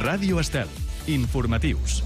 Ràdio Estel. Informatius.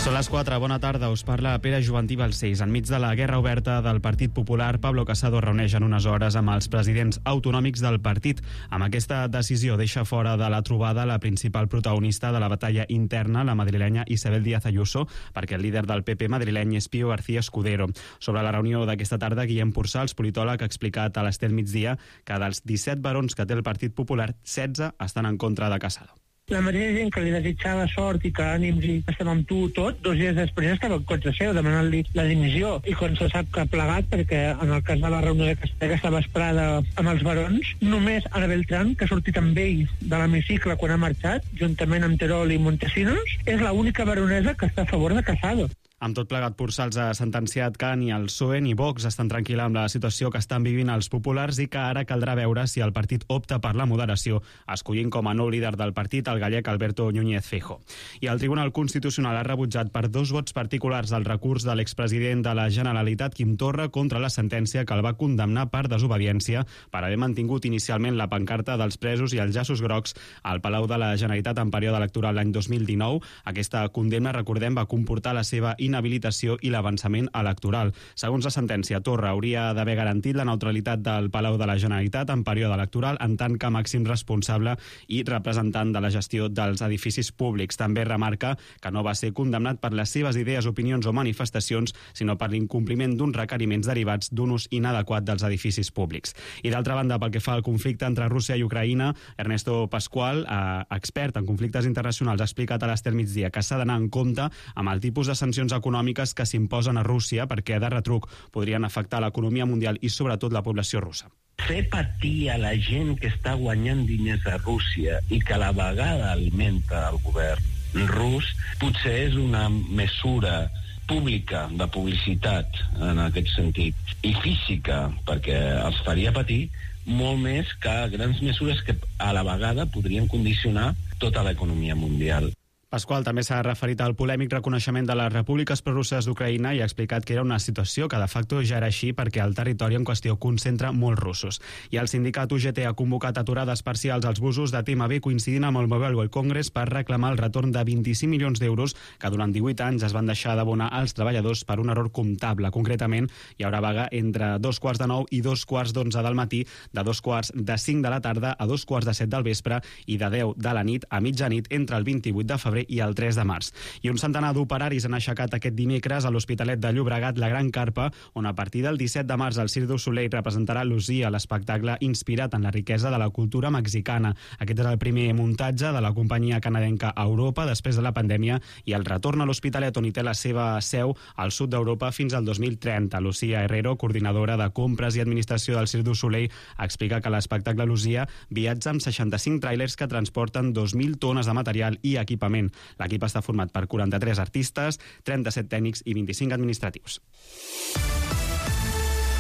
Són les 4, bona tarda, us parla Pere Jovantí Balcells. Enmig de la guerra oberta del Partit Popular, Pablo Casado reuneix en unes hores amb els presidents autonòmics del partit. Amb aquesta decisió deixa fora de la trobada la principal protagonista de la batalla interna, la madrilenya Isabel Díaz Ayuso, perquè el líder del PP madrileny és Pío García Escudero. Sobre la reunió d'aquesta tarda, Guillem Purçals, politòleg, ha explicat a l'Estel Migdia que dels 17 barons que té el Partit Popular, 16 estan en contra de Casado. La mateixa gent que li desitjava sort i que ànims i estem amb tu tot, 2 dies després estava en contra seu, demanant-li la dimissió. I quan se sap que ha plegat, perquè en el cas de la reunió d'aquesta vesprada amb els barons, només Ana Beltrán, que ha sortit amb ell de l'hemicicle quan ha marxat, juntament amb Terol i Montesinos, és l'única baronesa que està a favor de Casado. Amb tot plegat, Purçals ha sentenciat que ni el PSOE ni Vox estan tranquil·la amb la situació que estan vivint els populars i que ara caldrà veure si el partit opta per la moderació, escollint com a nou líder del partit el gallec Alberto Núñez Feijóo. I el Tribunal Constitucional ha rebutjat per 2 vots particulars el recurs de l'expresident de la Generalitat, Quim Torra, contra la sentència que el va condemnar per desobediència per haver mantingut inicialment la pancarta dels presos i els llaços grocs al Palau de la Generalitat en període electoral l'any 2019. Aquesta condemna, recordem, va comportar la seva inhabilitació i l'avançament electoral. Segons la sentència, Torra hauria d'haver garantit la neutralitat del Palau de la Generalitat en període electoral en tant que màxim responsable i representant de la gestió dels edificis públics. També remarca que no va ser condemnat per les seves idees, opinions o manifestacions, sinó per l'incompliment d'uns requeriments derivats d'un ús inadequat dels edificis públics. I d'altra banda, pel que fa al conflicte entre Rússia i Ucraïna, Ernesto Pascual, expert en conflictes internacionals, ha explicat a l'Estel Migdia que s'ha d'anar en compte amb el tipus de sancions econòmiques que s'imposen a Rússia perquè de retruc podrien afectar l'economia mundial i sobretot la població russa. Fer patir a la gent que està guanyant diners a Rússia i que a la vegada alimenta el govern rus potser és una mesura pública de publicitat en aquest sentit i física perquè els faria patir molt més que grans mesures que a la vegada podrien condicionar tota l'economia mundial. Pasqual també s'ha referit al polèmic reconeixement de les repúbliques prorusses d'Ucraïna i ha explicat que era una situació que de facto ja era així perquè el territori en qüestió concentra molts russos. I el sindicat UGT ha convocat aturades parcials als busos de TMB coincidint amb el Mobile World Congress per reclamar el retorn de 25 milions d'euros que durant 18 anys es van deixar d'abonar als treballadors per un error comptable. Concretament, hi haurà vaga entre 2:15 i 2:11 del matí, de 2:45 de la tarda a 2:07 del vespre i de 10 de la nit a mitjanit entre el 28 de febrer i el 3 de març. I un centenar d'operaris han aixecat aquest dimecres a l'Hospitalet de Llobregat la Gran Carpa, on a partir del 17 de març el Cirque du Soleil representarà Lucia, l'espectacle inspirat en la riquesa de la cultura mexicana. Aquest és el primer muntatge de la companyia canadenca a Europa després de la pandèmia i el retorn a l'Hospitalet, on hi té la seva seu al sud d'Europa fins al 2030. Lucia Herrero, coordinadora de compres i administració del Cirque du Soleil, explica que l'espectacle Lucia viatja amb 65 tràilers que transporten 2.000 tones de material i equipament. L'equip està format per 43 artistes, 37 tècnics i 25 administratius.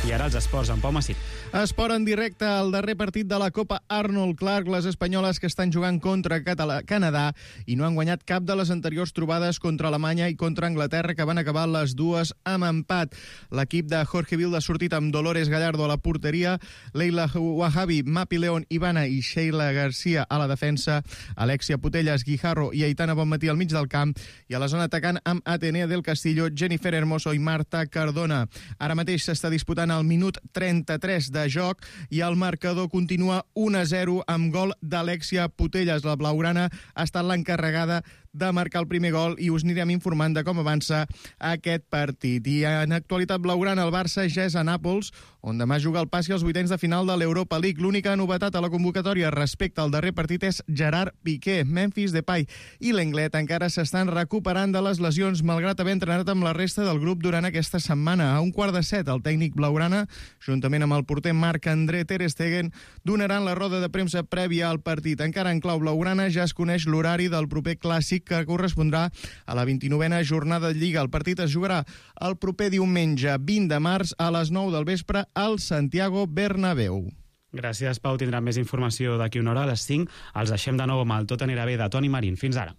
I ara els esports, en Pau Massip. Esport en directe, el darrer partit de la Copa Arnold Clark, les espanyoles que estan jugant contra Canadà i no han guanyat cap de les anteriors trobades contra Alemanya i contra Anglaterra, que van acabar les dues amb empat. L'equip de Jorge Vilda ha sortit amb Dolores Gallardo a la porteria, Leila Wahabi, Mapi León, Ivana i Sheila Garcia a la defensa, Alexia Putellas, Guijarro i Aitana Bonmatí al mig del camp, i a la zona atacant amb Atenea del Castillo, Jennifer Hermoso i Marta Cardona. Ara mateix s'està disputant al minut 33 de joc i el marcador continua 1-0 amb gol d'Alexia Putellas. La blaugrana ha estat l'encarregada de marcar el primer gol i us anirem informant de com avança aquest partit. I en actualitat blaugrana, el Barça ja és a Nàpols, on demà juga el passi als vuitens de final de l'Europa League. L'única novetat a la convocatòria respecte al darrer partit és Gerard Piqué. Memphis Depay i l'Englet encara s'estan recuperant de les lesions, malgrat haver entrenat amb la resta del grup durant aquesta setmana. A 6:15, el tècnic blaugrana, juntament amb el porter Marc-André Ter Stegen, donaran la roda de premsa prèvia al partit. Encara en clau blaugrana ja es coneix l'horari del proper clàssic, que correspondrà a la 29a jornada de Lliga. El partit es jugarà el proper diumenge 20 de març a les 9 del vespre al Santiago Bernabéu. Gràcies, Pau. Tindrem més informació d'aquí una hora a les 5. Els deixem de nou amb el Tot anirà bé de Toni Marín. Fins ara.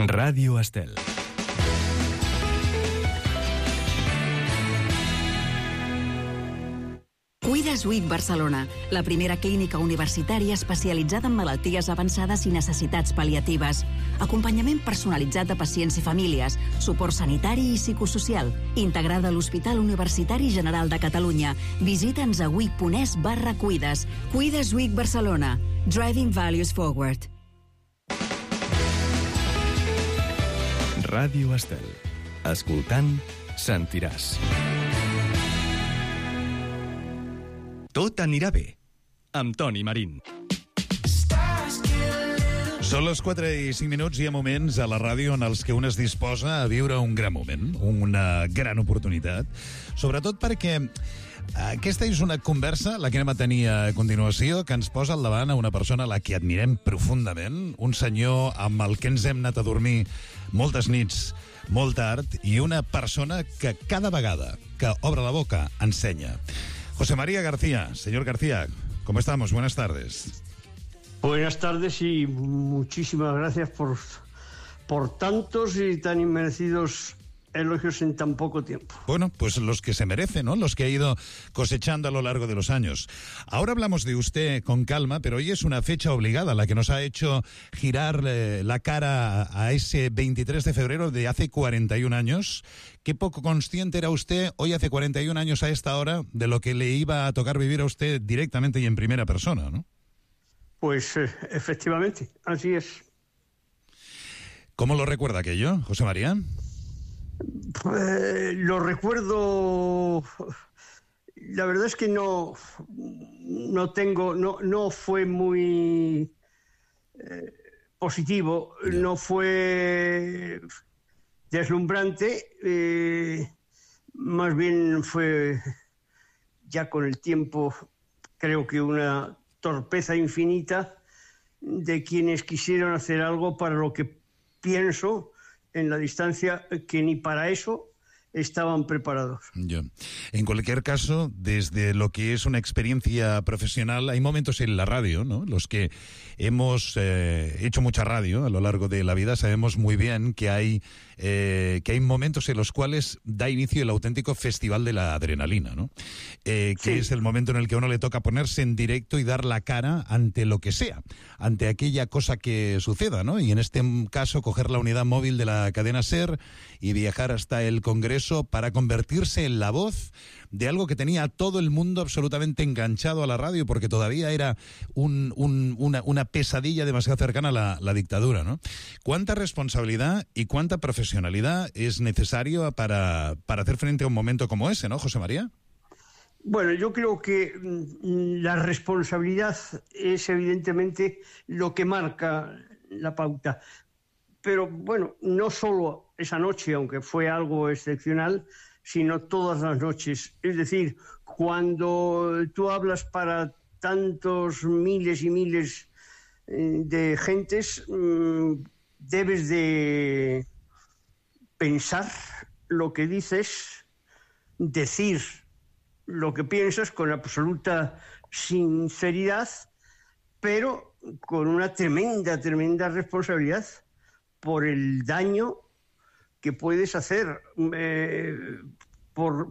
Ràdio Estel. Cuides Week Barcelona, la primera clínica universitària especialitzada en malalties avançades i necessitats pal·liatives. Acompanyament personalitzat de pacients i famílies, suport sanitari i psicosocial, integrada a l'Hospital Universitari General de Catalunya. Visita'ns a week.es/cuides. Cuides Week Barcelona. Driving Values Forward. Ràdio Estel. Escoltant, sentiràs. Tot anirà bé, amb Toni Marín. Són les 4 i 5 minuts i hi ha moments a la ràdio en els que un es disposa a viure un gran moment, una gran oportunitat, sobretot perquè aquesta és una conversa, la que anem a tenir a continuació, que ens posa al davant a una persona a la que admirem profundament, un senyor amb el que ens hem anat a dormir moltes nits, molt tard, i una persona que cada vegada que obre la boca ensenya. José María García. Señor García, ¿cómo estamos? Buenas tardes. Buenas tardes y muchísimas gracias por tantos y tan inmerecidos elogios en tan poco tiempo. Bueno, pues los que se merecen, ¿no? Los que ha ido cosechando a lo largo de los años. Ahora hablamos de usted con calma, pero hoy es una fecha obligada, la que nos ha hecho girar la cara a ese 23 de febrero de hace 41 años. Qué poco consciente era usted hoy, hace 41 años a esta hora, de lo que le iba a tocar vivir a usted directamente y en primera persona, ¿no? Pues efectivamente, así es. ¿Cómo lo recuerda aquello, José María? Lo recuerdo. La verdad es que no fue muy positivo, no fue deslumbrante, más bien fue ya con el tiempo, creo que una torpeza infinita de quienes quisieron hacer algo para lo que pienso en la distancia que ni para eso estaban preparados. En cualquier caso, desde lo que es una experiencia profesional, hay momentos en la radio, ¿no? Los que hemos hecho mucha radio a lo largo de la vida sabemos muy bien que hay momentos en los cuales da inicio el auténtico festival de la adrenalina, ¿no? Que sí. Es el momento en el que a uno le toca ponerse en directo y dar la cara ante lo que sea, ante aquella cosa que suceda, ¿no? Y en este caso coger la unidad móvil de la cadena SER y viajar hasta el Congreso para convertirse en la voz de algo que tenía a todo el mundo absolutamente enganchado a la radio, porque todavía era una pesadilla demasiado cercana a la dictadura, ¿no? ¿Cuánta responsabilidad y cuánta profesionalidad es necesario para hacer frente a un momento como ese, ¿no, José María? Bueno, yo creo que la responsabilidad es evidentemente lo que marca la pauta. Pero bueno, no solo esa noche, aunque fue algo excepcional, sino todas las noches. Es decir, cuando tú hablas para tantos miles y miles de gentes, debes de pensar lo que dices, decir lo que piensas con absoluta sinceridad, pero con una tremenda, tremenda responsabilidad por el daño que puedes hacer,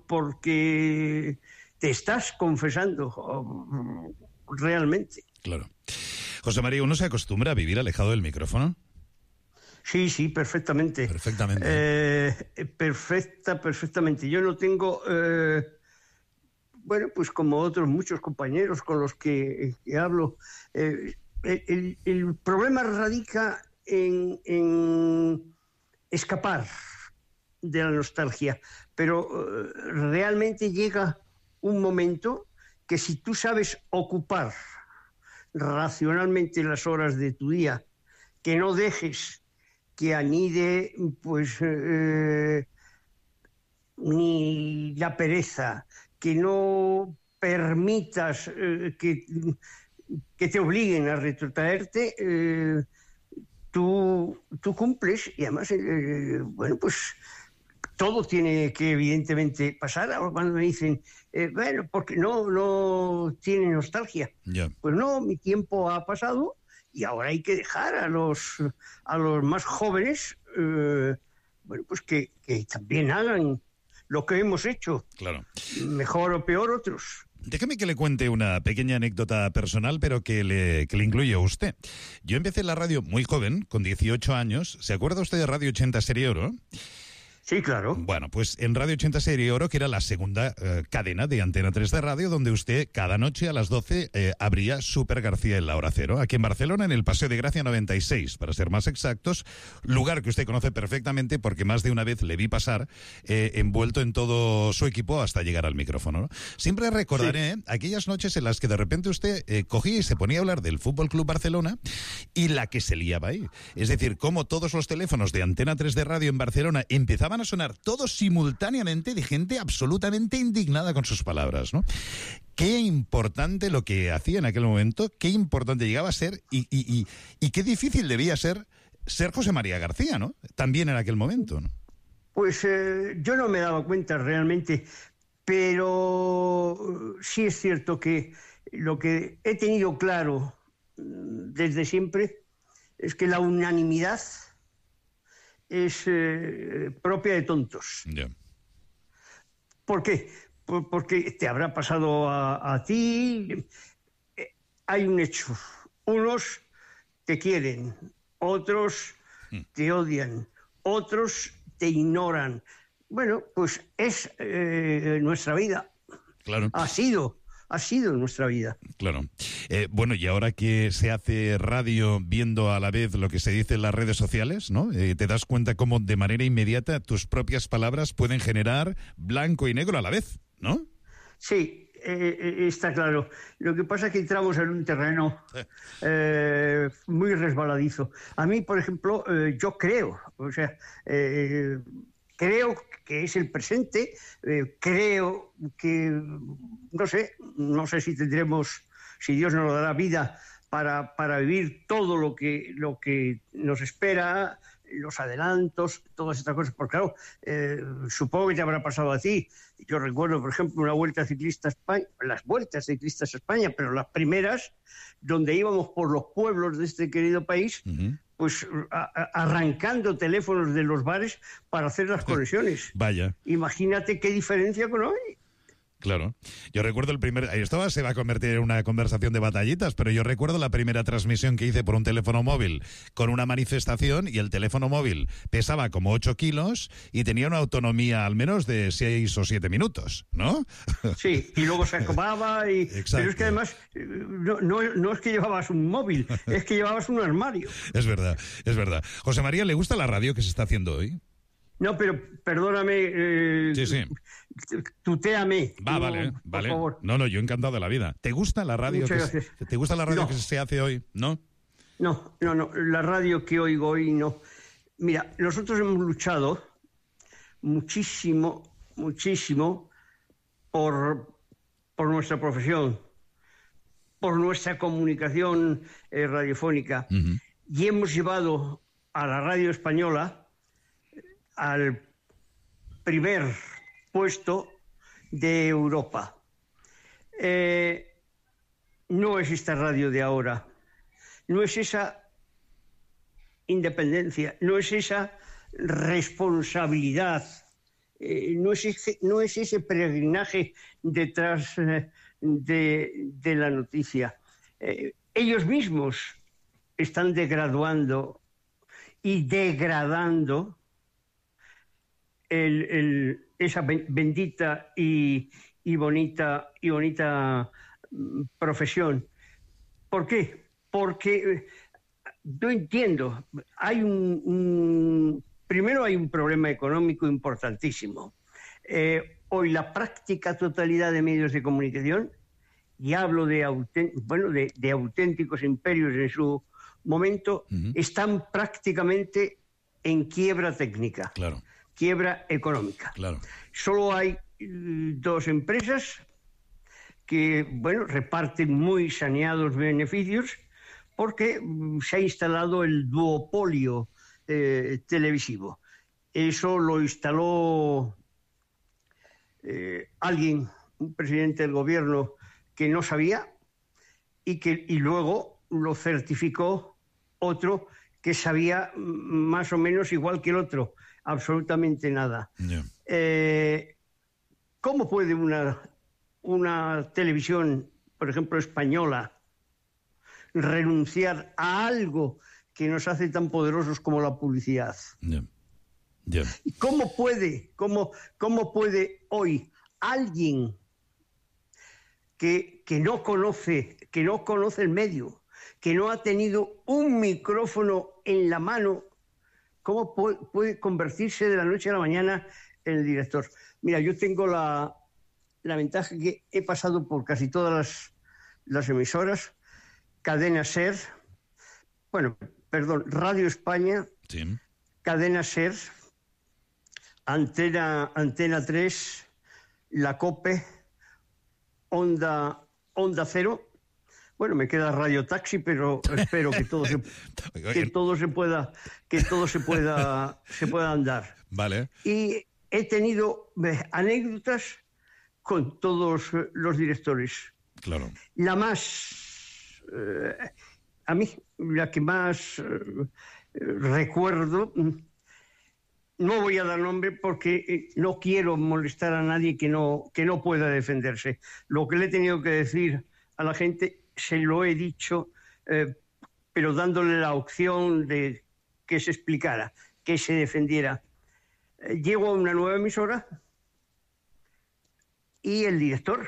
porque te estás confesando realmente. Claro. José María, ¿uno se acostumbra a vivir alejado del micrófono? Sí, perfectamente. Perfectamente. Perfectamente. Yo no tengo, pues como otros muchos compañeros con los que hablo, el problema radica en escapar de la nostalgia, pero realmente llega un momento que si tú sabes ocupar racionalmente las horas de tu día, que no dejes que anide pues ni la pereza, que no permitas que te obliguen a retrotraerte, tú cumples y además, pues todo tiene que evidentemente pasar. Ahora cuando me dicen, porque no tiene nostalgia. Yeah. Pues no, mi tiempo ha pasado y ahora hay que dejar a los más jóvenes, pues que también hagan lo que hemos hecho. Claro. Mejor o peor otros. Déjeme que le cuente una pequeña anécdota personal, pero que le incluye a usted. Yo empecé en la radio muy joven, con 18 años. ¿Se acuerda usted de Radio 80 Serie Oro? Sí, claro. Bueno, pues en Radio 80 Serie Oro, que era la segunda cadena de Antena 3 de radio, donde usted cada noche a las 12 abría Super García en la hora cero, aquí en Barcelona, en el Paseo de Gracia 96, para ser más exactos, lugar que usted conoce perfectamente porque más de una vez le vi pasar envuelto en todo su equipo hasta llegar al micrófono, ¿no? Siempre recordaré aquellas noches en las que de repente usted cogía y se ponía a hablar del Fútbol Club Barcelona y la que se liaba ahí. Es decir, cómo todos los teléfonos de Antena 3 de radio en Barcelona empezaban a sonar todos simultáneamente de gente absolutamente indignada con sus palabras, ¿no? Qué importante lo que hacía en aquel momento, qué importante llegaba a ser y qué difícil debía ser José María García, ¿no? También en aquel momento, ¿no? Pues yo no me daba cuenta realmente, pero sí es cierto que lo que he tenido claro desde siempre es que la unanimidad es propia de tontos. Yeah. ¿Por qué? Porque te habrá pasado a ti. Hay un hecho. Unos te quieren, otros te odian, otros te ignoran. Bueno, pues es nuestra vida. Claro. Ha sido nuestra vida. Claro. Bueno, y ahora que se hace radio viendo a la vez lo que se dice en las redes sociales, ¿no? Te das cuenta cómo de manera inmediata tus propias palabras pueden generar blanco y negro a la vez, ¿no? Sí, está claro. Lo que pasa es que entramos en un terreno muy resbaladizo. A mí, por ejemplo, yo creo, creo que es el presente, creo que, no sé si tendremos, si Dios nos dará vida para vivir todo lo que nos espera, los adelantos, todas estas cosas. Porque claro, supongo que te habrá pasado a ti. Yo recuerdo, por ejemplo, las vueltas ciclistas a España, pero las primeras, donde íbamos por los pueblos de este querido país, pues arrancando teléfonos de los bares para hacer las conexiones. Vaya. Imagínate qué diferencia con hoy. Claro. Yo recuerdo esto se va a convertir en una conversación de batallitas, pero yo recuerdo la primera transmisión que hice por un teléfono móvil con una manifestación y el teléfono móvil pesaba como 8 kilos y tenía una autonomía al menos de 6 o 7 minutos, ¿no? Sí, y luego se acababa y... Exacto. Pero es que además no es que llevabas un móvil, es que llevabas un armario. Es verdad, es verdad. José María, ¿le gusta la radio que se está haciendo hoy? No, pero perdóname, sí. Tutéame. Vale. Por favor. No, yo encantado de la vida. ¿Te gusta la radio? ¿Te gusta la radio que se hace hoy? ¿No? No, la radio que oigo hoy no. Mira, nosotros hemos luchado muchísimo por nuestra profesión, por nuestra comunicación radiofónica, y hemos llevado a la radio española al primer puesto de Europa. No es esta radio de ahora, no es esa independencia, no es esa responsabilidad, no es ese peregrinaje detrás de la noticia. Ellos mismos están degraduando y degradando esa bendita y bonita profesión. ¿Por qué? Porque yo entiendo, primero hay un problema económico importantísimo. Hoy la práctica totalidad de medios de comunicación, y hablo de auténticos imperios en su momento, están prácticamente en quiebra técnica. Claro. Quiebra económica. Claro. Solo hay 2 empresas que, reparten muy saneados beneficios porque se ha instalado el duopolio televisivo. Eso lo instaló alguien, un presidente del gobierno que no sabía y luego lo certificó otro que sabía más o menos igual que el otro. Absolutamente nada. Yeah. ¿Cómo puede una una televisión, por ejemplo, española, renunciar a algo que nos hace tan poderosos como la publicidad. ¿Cómo puede hoy alguien que no conoce el medio, que no ha tenido un micrófono en la mano, cómo puede convertirse de la noche a la mañana en el director? Mira, yo tengo la ventaja que he pasado por casi todas las emisoras, Cadena SER, Radio España, sí. Cadena SER, Antena 3, La COPE, Onda Cero. Bueno, me queda Radio Taxi, pero espero que todo se pueda andar. Vale. Y he tenido anécdotas con todos los directores. Claro. A mí, la que más recuerdo, no voy a dar nombre porque no quiero molestar a nadie que no pueda defenderse. Lo que le he tenido que decir a la gente se lo he dicho, pero dándole la opción de que se explicara, que se defendiera. Llego a una nueva emisora y el director,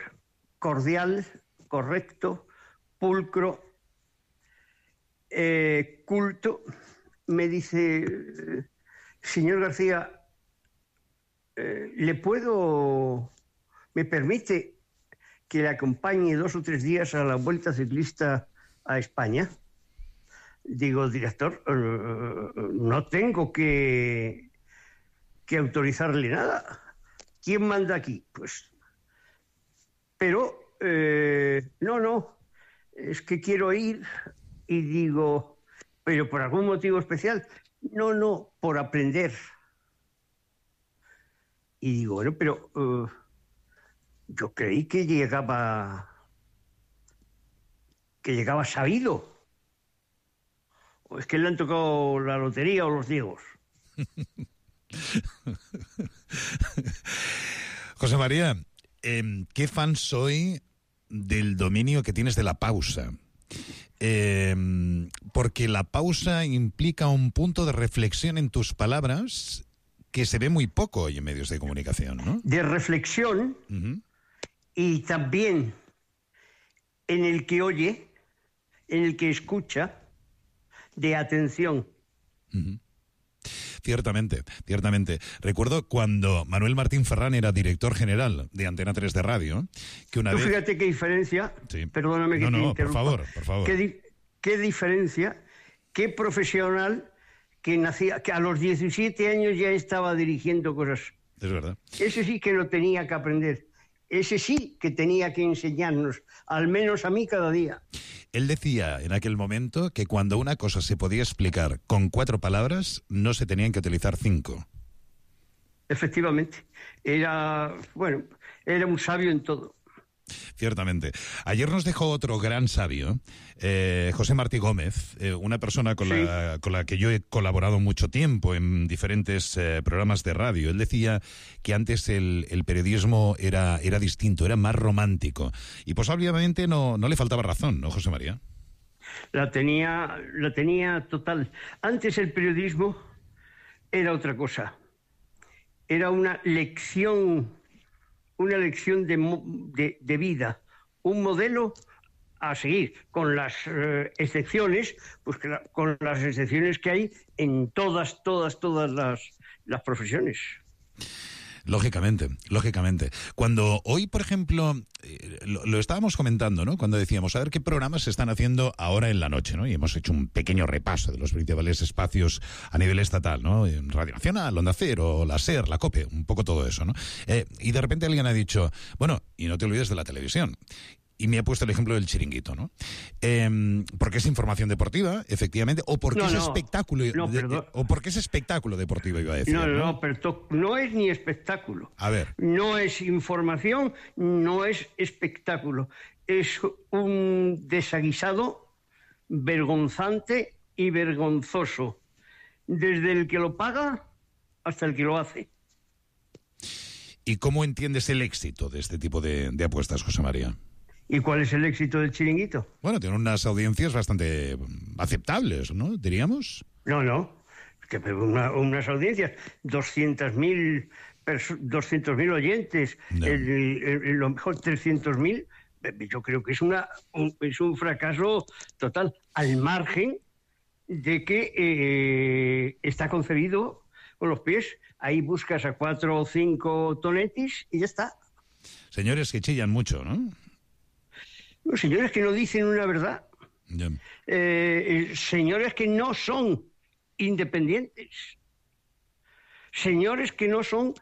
cordial, correcto, pulcro, culto, me dice: señor García, ¿me permite que le acompañe 2 o 3 días a la Vuelta Ciclista a España? Digo: director, no tengo que autorizarle nada. ¿Quién manda aquí? Pues, pero, no, es que quiero ir. Y digo: ¿pero por algún motivo especial? No, por aprender. Y digo: bueno, pero yo creí que llegaba sabido. ¿O es que le han tocado la lotería o los ciegos? José María, ¿qué fan soy del dominio que tienes de la pausa? Porque la pausa implica un punto de reflexión en tus palabras que se ve muy poco hoy en medios de comunicación, ¿no? De reflexión, y también en el que oye, en el que escucha, de atención. Ciertamente. Recuerdo cuando Manuel Martín Ferrán era director general de Antena 3 de Radio, que una vez... Fíjate qué diferencia, sí. Perdóname que te interrumpa. Por favor. Qué diferencia, qué profesional que a los 17 años ya estaba dirigiendo cosas. Es verdad. Ese sí que lo tenía que aprender. Ese sí que tenía que enseñarnos, al menos a mí cada día. Él decía en aquel momento que cuando una cosa se podía explicar con 4 palabras, no se tenían que utilizar 5. Efectivamente. Era un sabio en todo. Ciertamente. Ayer nos dejó otro gran sabio, José Martí Gómez, una persona con la que yo he colaborado mucho tiempo en diferentes programas de radio. Él decía que antes el periodismo era distinto, era más romántico. Y pues obviamente no le faltaba razón, ¿no, José María? La tenía total. Antes el periodismo era otra cosa. Era una lección de vida, un modelo a seguir, con las excepciones, pues con las excepciones que hay en todas las profesiones. Lógicamente. Cuando hoy, por ejemplo, lo estábamos comentando, ¿no? Cuando decíamos, a ver qué programas se están haciendo ahora en la noche, ¿no? Y hemos hecho un pequeño repaso de los principales espacios a nivel estatal, ¿no? En Radio Nacional, Onda Cero, la SER, la COPE, un poco todo eso, ¿no? Y de repente alguien ha dicho, bueno, y no te olvides de la televisión. Y me ha puesto el ejemplo del Chiringuito, ¿no? Porque es información deportiva, efectivamente, o porque es espectáculo. O porque es espectáculo deportivo, iba a decir. No, pero no es ni espectáculo. A ver. No es información, no es espectáculo. Es un desaguisado vergonzante y vergonzoso. Desde el que lo paga hasta el que lo hace. ¿Y cómo entiendes el éxito de este tipo de apuestas, José María? ¿Y cuál es el éxito del Chiringuito? Bueno, tiene unas audiencias bastante aceptables, ¿no? Diríamos. No. Que unas audiencias, 200.000 oyentes, No. Lo mejor 300.000, yo creo que es un fracaso total, al margen de que está concebido con los pies. Ahí buscas a 4 o 5 tonetis y ya está. Señores que chillan mucho, ¿no? Los señores que no dicen una verdad. Ya. Señores que no son independientes. Señores que no son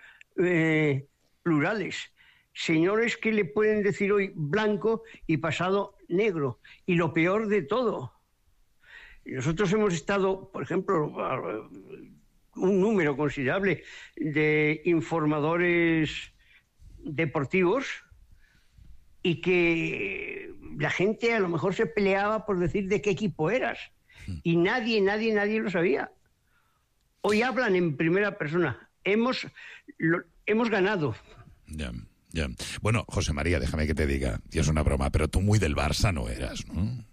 plurales. Señores que le pueden decir hoy blanco y pasado negro. Y lo peor de todo, nosotros hemos estado, por ejemplo, un número considerable de informadores deportivos y que la gente a lo mejor se peleaba por decir de qué equipo eras y nadie lo sabía. Hoy hablan en primera persona. Hemos ganado. Ya. Bueno, José María, déjame que te diga, y es una broma, pero tú muy del Barça no eras, ¿no?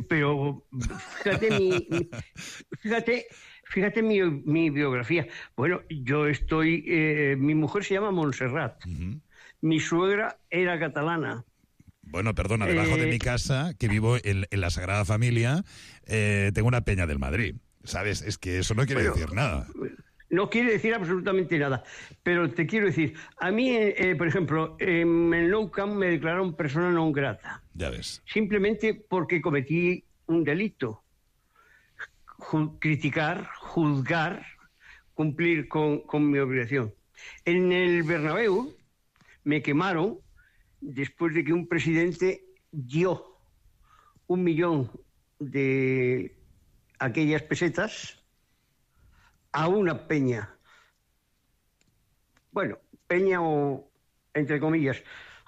Pero fíjate mi biografía. Bueno, yo estoy... mi mujer se llama Montserrat. Uh-huh. Mi suegra era catalana. Bueno, perdona, debajo de mi casa, que vivo en la Sagrada Familia, tengo una peña del Madrid, ¿sabes? Es que eso no quiere decir nada. No quiere decir absolutamente nada, pero te quiero decir, a mí, por ejemplo, en el Nou Camp me declararon persona non grata. Ya ves. Simplemente porque cometí un delito. Criticar, juzgar, cumplir con mi obligación. En el Bernabéu me quemaron después de que un presidente dio 1 millón de aquellas pesetas a una peña. Bueno, peña o, entre comillas,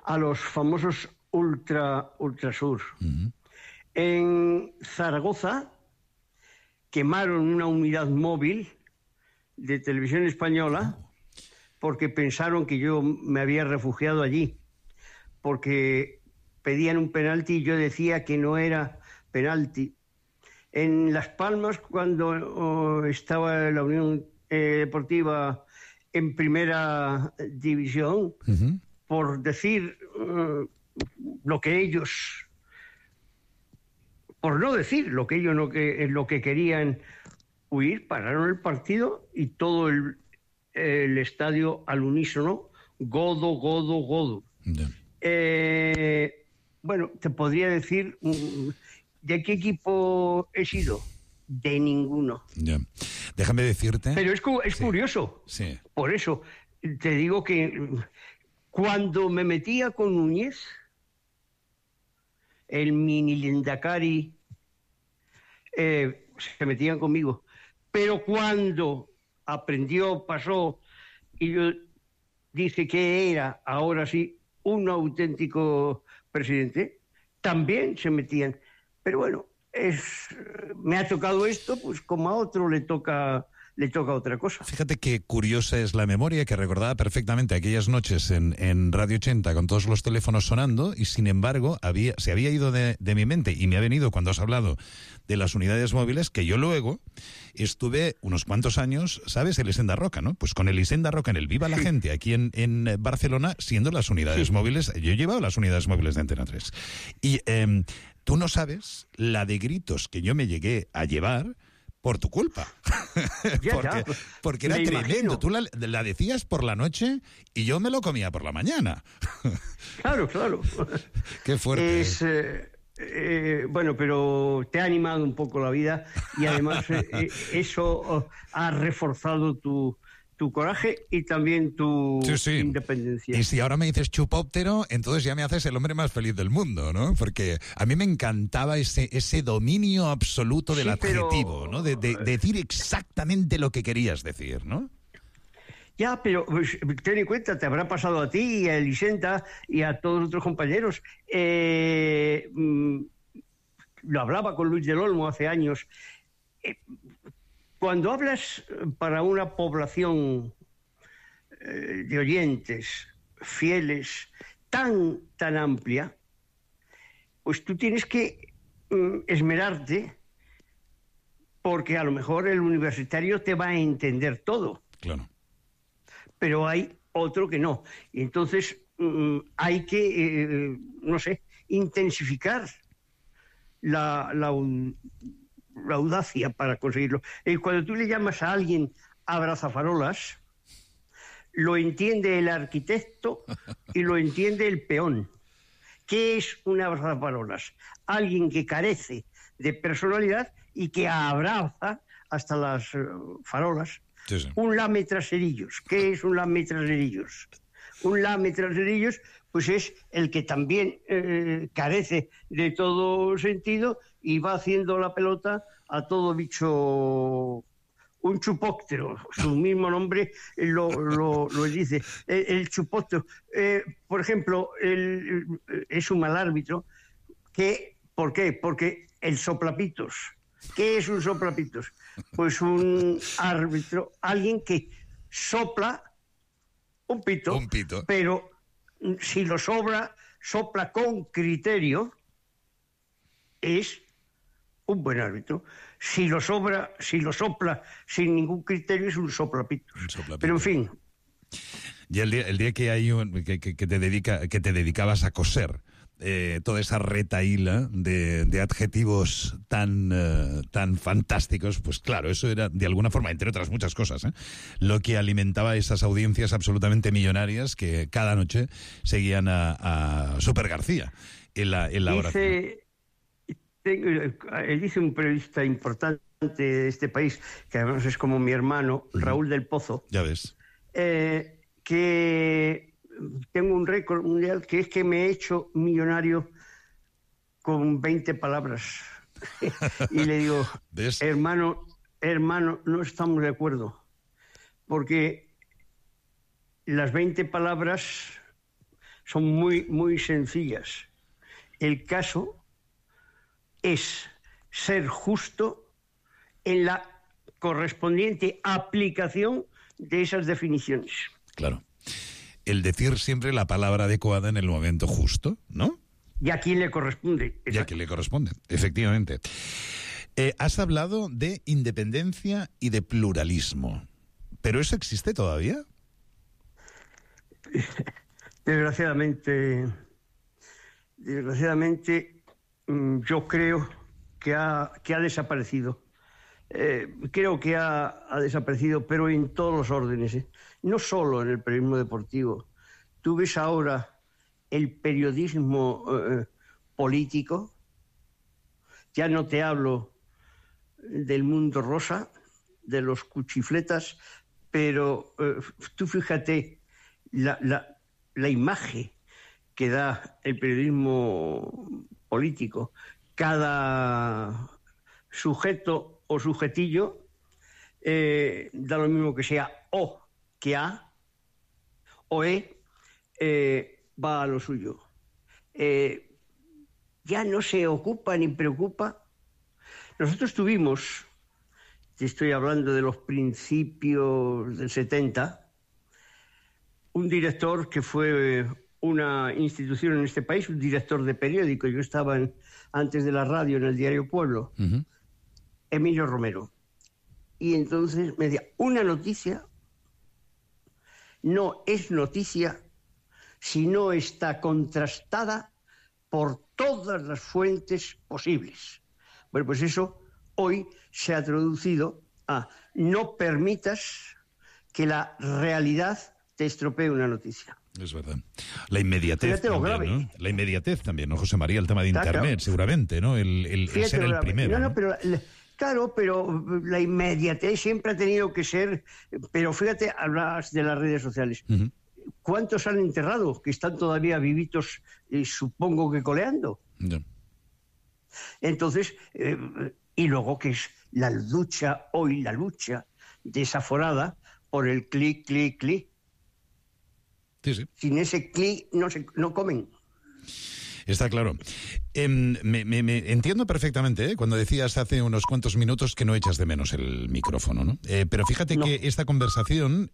a los famosos Ultrasur. Uh-huh. En Zaragoza quemaron una unidad móvil de Televisión Española porque pensaron que yo me había refugiado allí, porque pedían un penalti y yo decía que no era penalti. En Las Palmas, cuando estaba la Unión Deportiva en primera división, uh-huh, por decir lo que ellos, por no decir lo que ellos lo que querían huir, pararon el partido y todo el estadio al unísono, godo, godo, godo. Yeah. Bueno, te podría decir, ¿de qué equipo he sido? De ninguno. Yeah. Déjame decirte... Pero es sí, curioso. Sí. Por eso te digo que cuando me metía con Núñez, el mini Lendakari, se metían conmigo. Pero cuando aprendió, pasó, y yo dije que era, ahora sí, un auténtico presidente, también se metían. Pero bueno, me ha tocado esto, pues como a otro le toca otra cosa. Fíjate qué curiosa es la memoria, que recordaba perfectamente aquellas noches en Radio 80 con todos los teléfonos sonando, y sin embargo se había ido de mi mente, y me ha venido cuando has hablado de las unidades móviles, que yo luego estuve unos cuantos años, ¿sabes? El Hisenda Roca, ¿no? Pues con el Hisenda Roca en el Viva la Gente, aquí en Barcelona, siendo las unidades móviles, yo he llevado las unidades móviles de Antena 3. Y tú no sabes la de gritos que yo me llegué a llevar por tu culpa. porque era tremendo. Tú la decías por la noche y yo me lo comía por la mañana. Claro. Qué fuerte. Bueno, pero te ha animado un poco la vida y además eso ha reforzado tu coraje y también tu independencia. Y si ahora me dices chupóptero, entonces ya me haces el hombre más feliz del mundo, ¿no? Porque a mí me encantaba ese dominio absoluto del adjetivo, ¿no? De decir exactamente lo que querías decir, ¿no? Ya, pero pues, ten en cuenta, te habrá pasado a ti y a Elisenda y a todos los otros compañeros. Lo hablaba con Luis del Olmo hace años. Cuando hablas para una población de oyentes fieles tan amplia, pues tú tienes que esmerarte, porque a lo mejor el universitario te va a entender todo. Claro. Pero hay otro que no. Y entonces hay que, intensificar la audacia para conseguirlo. Cuando tú le llamas a alguien abrazafarolas, lo entiende el arquitecto y lo entiende el peón. ¿Qué es un abrazafarolas? Alguien que carece de personalidad y que abraza hasta las farolas. Sí, sí. Un lametraserillos. ¿Qué es un lametraserillos? Un lametraserillos, pues es el que también carece de todo sentido y va haciendo la pelota a todo bicho, un chupóptero. Su mismo nombre lo dice. El chupóptero, por ejemplo, es un mal árbitro. ¿Por qué? Porque el soplapitos. ¿Qué es un soplapitos? Pues un árbitro, alguien que sopla un pito, pero si lo sopla con criterio, es un buen árbitro. Si lo sopla sin ningún criterio, es un soplapitos. Pero en fin. Y el día que hay que te dedicabas a coser toda esa retahíla de adjetivos tan fantásticos, pues claro, eso era de alguna forma, entre otras muchas cosas, lo que alimentaba esas audiencias absolutamente millonarias que cada noche seguían a Super García en la oración. Dice un periodista importante de este país, que además es como mi hermano, Raúl del Pozo. Ya ves. Que tengo un récord mundial, que es que me he hecho millonario con 20 palabras. Y le digo, ¿ves? hermano, no estamos de acuerdo, porque las 20 palabras son muy, muy sencillas. El caso es ser justo en la correspondiente aplicación de esas definiciones. Claro. El decir siempre la palabra adecuada en el momento justo, ¿no? Y a quién le corresponde. Y a quién le corresponde, efectivamente. Has hablado de independencia y de pluralismo. ¿Pero eso existe todavía? Desgraciadamente, yo creo que ha desaparecido. Creo que ha desaparecido, pero en todos los órdenes, no solo en el periodismo deportivo. Tú ves ahora el periodismo político, ya no te hablo del mundo rosa, de los cuchifletas, pero tú fíjate la imagen que da el periodismo político. Cada sujeto o sujetillo da lo mismo que sea O que A, o va a lo suyo. Ya no se ocupa ni preocupa. Nosotros tuvimos, te estoy hablando de los principios del 70, un director que fue una institución en este país, un director de periódico. Yo estaba antes de la radio en el diario Pueblo, Emilio Romero. Y entonces me decía, una noticia no es noticia si no está contrastada por todas las fuentes posibles. Bueno, pues eso hoy se ha traducido a no permitas que la realidad te estropee una noticia. Es verdad. La inmediatez también, ¿no? La inmediatez también, ¿no, José María? El tema de Internet, claro. Seguramente, ¿no? El ser el primero. No, pero claro, pero la inmediatez siempre ha tenido que ser... Pero fíjate, hablas de las redes sociales. ¿Cuántos han enterrado que están todavía vivitos, supongo que coleando? No. Entonces, y luego que es la lucha desaforada por el clic, clic, clic. Sí, sí. Sin ese clic no comen. Está claro. Me entiendo perfectamente cuando decías hace unos cuantos minutos que no echas de menos el micrófono, ¿no? Pero fíjate que esta conversación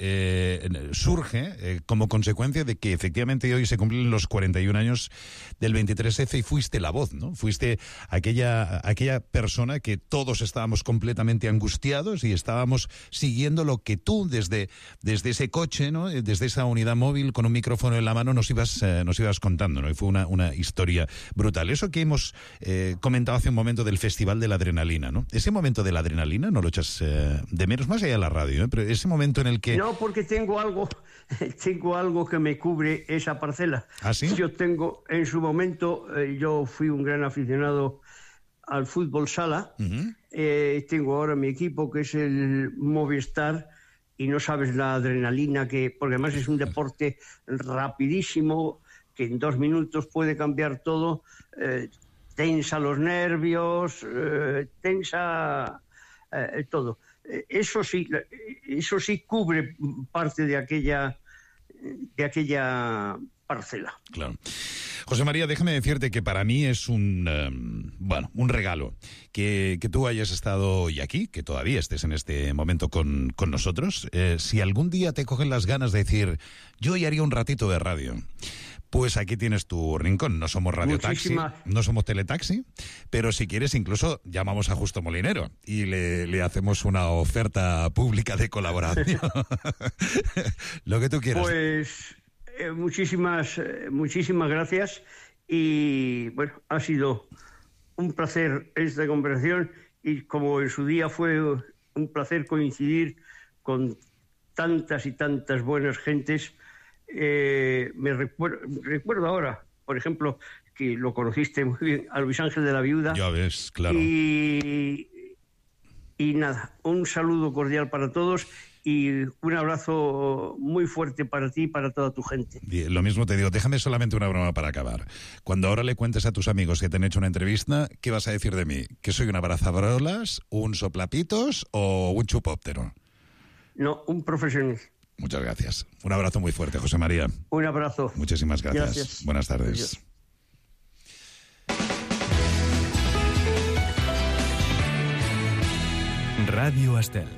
surge como consecuencia de que efectivamente hoy se cumplen los 41 años del 23F y fuiste la voz, ¿no? Fuiste aquella persona que todos estábamos completamente angustiados y estábamos siguiendo lo que tú desde ese coche, ¿no? Desde esa unidad móvil con un micrófono en la mano nos ibas contando, ¿no? Y fue una historia brutal. Eso que hemos comentado hace un momento del Festival de la Adrenalina, ¿no? Ese momento de la adrenalina no lo echas de menos, más allá de la radio, ¿eh? Pero ese momento en el que... No, porque tengo algo que me cubre esa parcela. ¿Ah, sí? Yo tengo, en su momento, yo fui un gran aficionado al fútbol sala. Uh-huh. Tengo ahora mi equipo, que es el Movistar, y no sabes la adrenalina porque además es un deporte rapidísimo, que en 2 minutos puede cambiar todo, tensa los nervios, tensa todo. Eso sí cubre parte de aquella parcela. Claro. José María, déjame decirte que para mí es un regalo que tú hayas estado hoy aquí, que todavía estés en este momento con nosotros. Si algún día te cogen las ganas de decir, yo hoy haría un ratito de radio, pues aquí tienes tu rincón. No somos radiotaxi, no somos teletaxi, pero si quieres incluso llamamos a Justo Molinero y le hacemos una oferta pública de colaboración. Lo que tú quieras. Pues muchísimas gracias y bueno, ha sido un placer esta conversación y como en su día fue un placer coincidir con tantas y tantas buenas gentes. Me recuerdo ahora, por ejemplo, que lo conociste muy bien, a Luis Ángel de la Viuda. Ya ves, claro. Y nada, un saludo cordial para todos y un abrazo muy fuerte para ti y para toda tu gente. Bien, lo mismo te digo, déjame solamente una broma para acabar. Cuando ahora le cuentes a tus amigos que te han hecho una entrevista, ¿qué vas a decir de mí? ¿Que soy un abrazabrolas, un soplapitos o un chupóptero? No, un profesional. Muchas gracias. Un abrazo muy fuerte, José María. Un abrazo. Muchísimas gracias. Buenas tardes. Adiós. Ràdio Estel.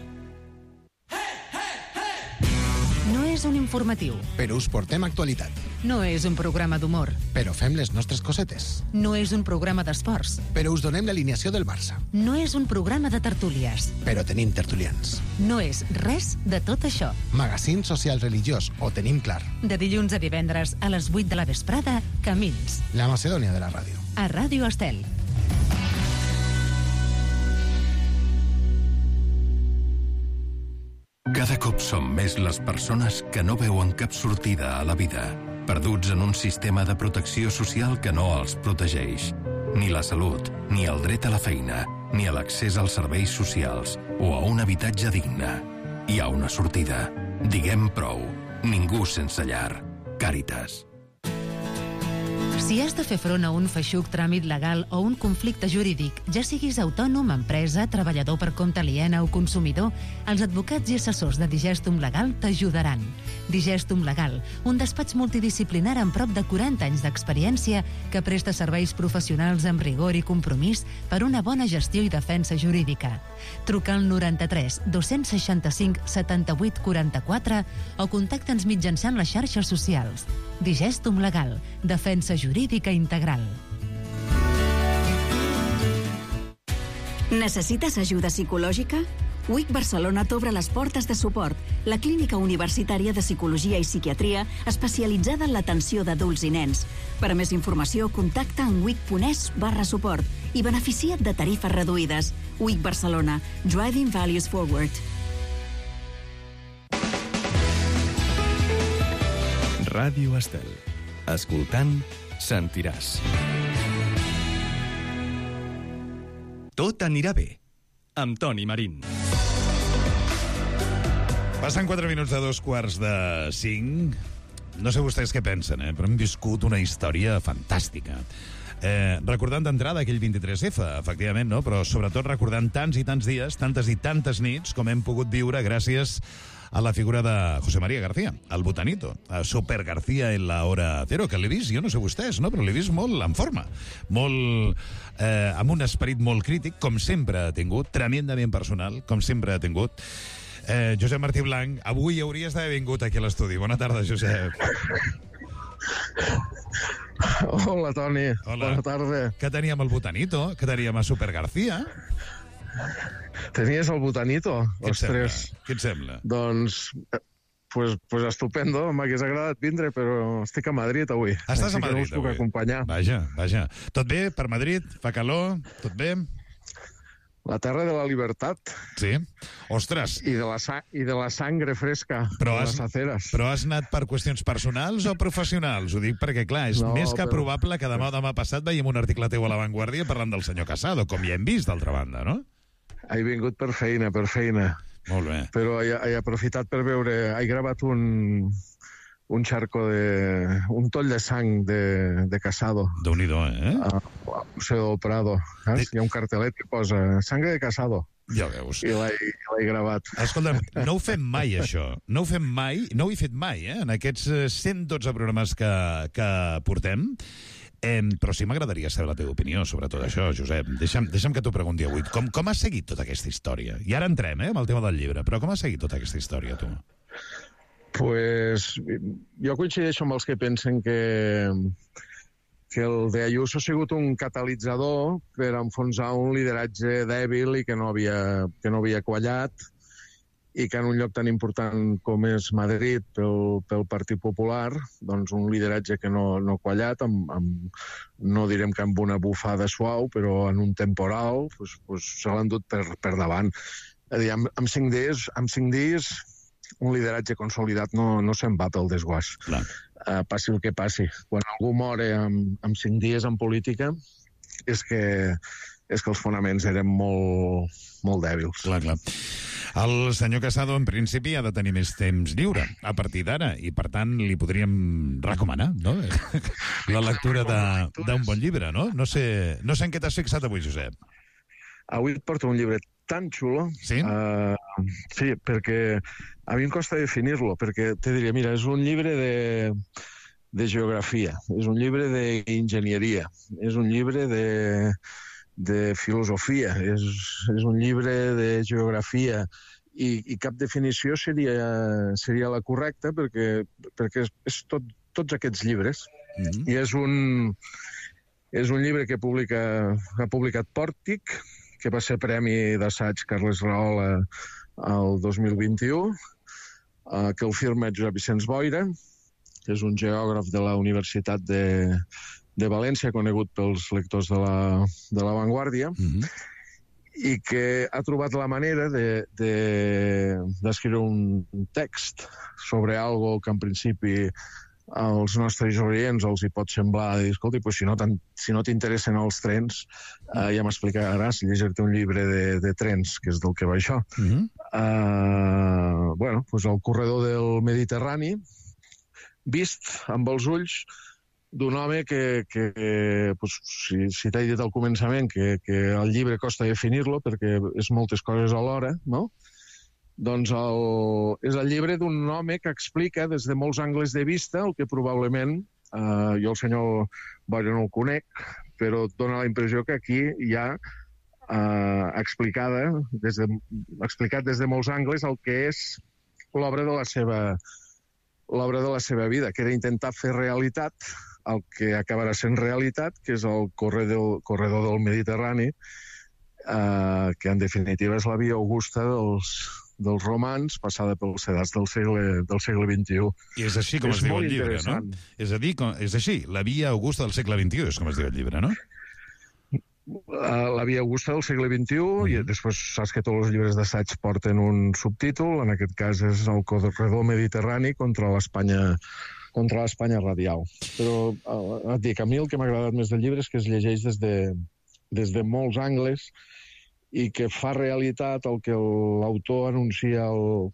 No és un informatiu. Però us portem actualitat. No és un programa d'humor. Però fem les nostres cosetes. No és un programa d'esports. Però us donem l'alineació del Barça. No és un programa de tertúlies. Però tenim tertulians. No és res de tot això. Magazín social religiós, ho tenim clar. De dilluns a divendres a les 8 de la vesprada, Camins. La Macedònia de la ràdio. A Ràdio Estel. Cada cop som més les persones que no veuen cap sortida a la vida, perduts en un sistema de protecció social que no els protegeix. Ni la salut, ni el dret a la feina, ni a l'accés als serveis socials o a un habitatge digne. Hi ha una sortida. Diguem prou. Ningú sense llar. Càritas. Si has de fer front a un feixuc tràmit legal o un conflicte jurídic, ja siguis autònom, empresa, treballador per compte aliena o consumidor, els advocats i assessors de Digestum Legal t'ajudaran. Digestum Legal, un despatx multidisciplinar amb prop de 40 anys d'experiència que presta serveis professionals amb rigor i compromís per una bona gestió i defensa jurídica. Truca al 93 265 78 44 o contacta'ns mitjançant les xarxes socials. Digestum Legal, defensa jurídica integral. Necessites ajuda psicològica? WIC Barcelona t'obre les portes de suport, la clínica universitària de psicologia i psiquiatria especialitzada en l'atenció d'adults i nens. Per a més informació, contacta en wic.es/suport i beneficia't de tarifes reduïdes. WIC Barcelona, Driving Values Forward. Ràdio Estel. Escoltant, sentiràs. Tot anirà bé. Amb Toni Marín. Passen 4 minuts de 2:45. No sé vostès què pensen, però hem viscut una història fantàstica. Recordant d'entrada aquell 23F, efectivament, no? Però sobretot recordant tants i tants dies, tantes i tantes nits, com hem pogut viure gràcies a la figura de José María García, el botanito, Super García en la hora cero, que l'he vist, jo no sé vostès, no? Però l'he vist molt en forma, molt amb un esperit molt crític, com sempre ha tingut, tremendament personal, com sempre ha tingut. Josep Martí Blanc, avui hauries d'haver vingut aquí a l'estudi. Bona tarda, Josep. Hola, Toni. Hola. Bona tarda. Què teníem el botanito? Què teníem a Super García? Tenies el botanito? Ostres. Què et sembla? Doncs, pues estupendo. M'hagués agradat vindre, però estic a Madrid avui. Estàs a Madrid no us puc avui? Acompanyar. Vaja. Tot bé per Madrid? Fa calor? Tot bé? La terra de la libertat. Sí? Ostres. I de la sangre fresca de les aceres. Però has anat per qüestions personals o professionals? Ho dic perquè, clar, és més que probable que demà o demà passat veiem un article teu a La Vanguardia parlant del senyor Casado, com ja hem vist, d'altra banda, no? He vingut per feina. Molt bé. Però he aprofitat per veure... He gravat un charco un toll de sang de Casado. Déu-n'hi-do, Al Museo del Prado. Hi ha un cartelet que posa Sangre de Casado. Ja veus. I l'he gravat. Escolta'm, no ho fem mai, això. No ho he fet mai, en aquests 112 programes que portem. Però sí m'agradaria saber la teva opinió sobre tot això, Josep. Deixa'm que t'ho pregunti avui. Com has seguit tota aquesta història? I ara entrem, amb el tema del llibre, però com has seguit tota aquesta història, tu? Pues jo coincideixo amb els que pensen que el de Ayuso ha sigut un catalitzador per enfonsar un lideratge dèbil i que no havia quallat, i que en un lloc tan important com és Madrid pel Partit Popular, doncs un lideratge que no ha quallat, no direm que amb una bufada suau, però en un temporal se l'han dut per davant. És a dir, amb 5 dies un lideratge consolidat no se'n va pel desguàs. Passi el que passi. Quan algú mora amb 5 dies en política és que els fonaments eren molt dèbils. Clar. El senyor Casado, en principi, ha de tenir més temps lliure a partir d'ara, i per tant li podríem recomanar, no? La lectura d'un bon llibre, no? No sé en què t'has fixat avui, Josep. Avui et porto un llibre tan xulo. Sí? Sí, perquè a mi em costa definir-lo, perquè te diria, mira, és un llibre de geografia, és un llibre d'enginyeria, és un llibre de filosofia, és un llibre de geografia, i cap definició seria la correcta, perquè és tots aquests llibres. I és un llibre que ha publicat Pòrtic, que va ser Premi d'Assaig Carles Rahola el 2021, que el firma Josep Vicenç Boira, que és un geògraf de la Universitat de València, conegut pels lectors de la Vanguardia, i que ha trobat la manera d'escriure un text sobre algo que en principi als nostres oients els hi pot semblar dir, escolta, si no t'interessen els trens, ja m'explicaràs llegir-te un llibre de trens, que és del que va això. El corredor del Mediterrani, vist amb els ulls d'un home que si t'he dit al començament que el llibre costa definir-lo perquè és moltes coses alhora, no? Doncs és el llibre d'un home que explica des de molts angles de vista el que probablement, jo el senyor Boira no el conec, però dona la impressió que aquí hi ha explicat des de molts angles el que és l'obra de la seva vida, que era intentar fer realitat el que acabarà sent realitat, que és el corredor del Mediterrani, que en definitiva és la via augusta dels romans, passada pels sedats del segle XXI. I és així com es diu el llibre, no? És a dir, és així, la via augusta del segle XXI és com es diu el llibre, no? La via augusta del segle XXI, i després saps que tots els llibres d'assaig porten un subtítol, en aquest cas és el corredor mediterrani contra l'Espanya radial. Però et dic, a mi el que m'ha agradat més del llibre és que es llegeix des de molts angles i que fa realitat el que l'autor anuncia al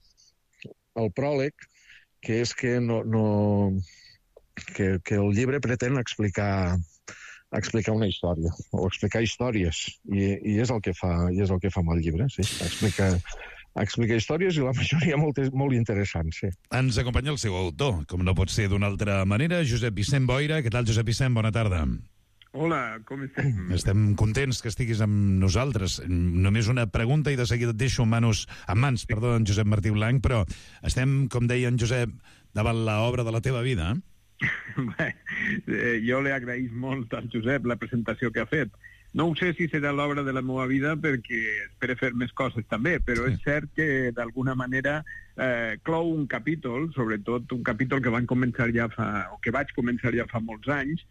pròleg, que és que el llibre pretén explicar una història, o explicar històries, i és el que fa amb el llibre, sí. explica històries i la majoria molt interessants, sí. Ens acompanya el seu autor, com no pot ser d'una altra manera, Josep Vicent Boira. Què tal, Josep Vicent? Bona tarda. Hola, com estem? Estem contents que estiguis amb nosaltres. Només una pregunta i de seguida et deixo en mans, en Josep Martí Blanc, però estem, com deia en Josep, davant l'obra de la teva vida. Bé, jo li agraïs molt al Josep la presentació que ha fet. No ho sé si serà l'obra de la meva vida perquè espero fer més coses també, però és cert que d'alguna manera clou un capítol, sobretot un capítol que vaig començar ja fa molts anys,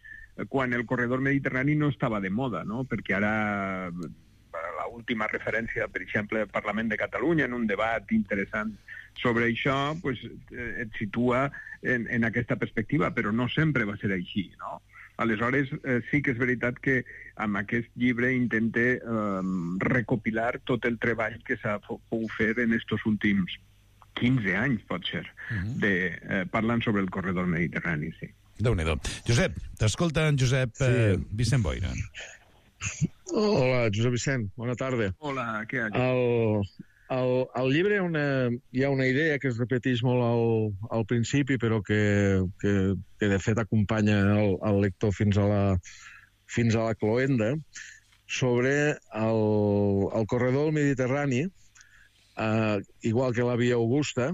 quan el corredor mediterrani no estava de moda, no? Perquè ara l'última referència, per exemple, al Parlament de Catalunya, en un debat interessant sobre això, pues, et situa en aquesta perspectiva, però no sempre va ser així, no? Aleshores, sí que és veritat que amb aquest llibre intente recopilar tot el treball que s'ha pogut fer en estos últims 15 anys, pot ser, parlant sobre el corredor mediterrani, sí. Déu-n'hi-do. Josep, t'escolta en Josep Vicent Boira. Hola, Josep Vicent, bona tarda. Hola, què hi ha? Al llibre hi ha una idea que es repeteix molt al principi, però que de fet acompanya el lector fins a la cloenda, sobre el corredor del Mediterrani, igual que la Via Augusta,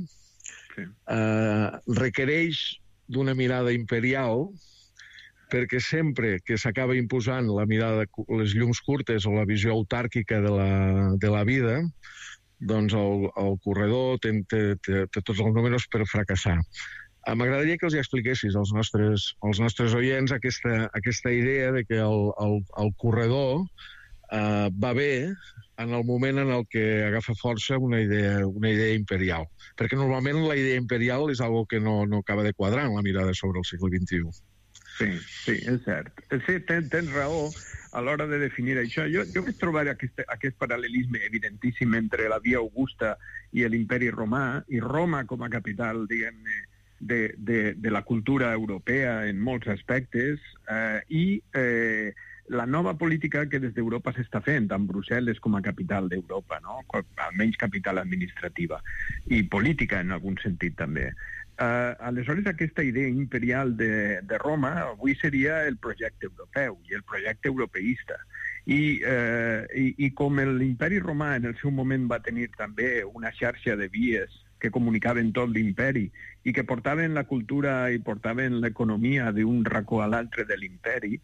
requereix d'una mirada imperial, perquè sempre que s'acaba imposant la mirada de les llums curtes o la visió autàrquica de la vida, doncs el corredor té tots els números per fracassar. M'agradaria que els expliquessis als nostres oients aquesta idea de que el corredor va bé en el moment en el que agafa força una idea imperial. Perquè normalment la idea imperial és algo que no acaba de quadrar en la mirada sobre el segle XXI. Sí, és cert. Sí, tens raó a l'hora de definir això. Jo vaig trobar aquest paral·lelisme evidentíssim entre la Via Augusta i l'imperi romà, i Roma com a capital, diguem-ne, de la cultura europea en molts aspectes, i la nova política que des d'Europa s'està fent, amb Brussel·les com a capital d'Europa, no? Almenys capital administrativa, i política en algun sentit també. Aleshores, aquesta idea imperial de Roma avui seria el projecte europeu i el projecte europeista. I com l'imperi romà en el seu moment va tenir també una xarxa de vies que comunicaven tot l'imperi i que portaven la cultura i portaven l'economia d'un racó a l'altre de l'imperi,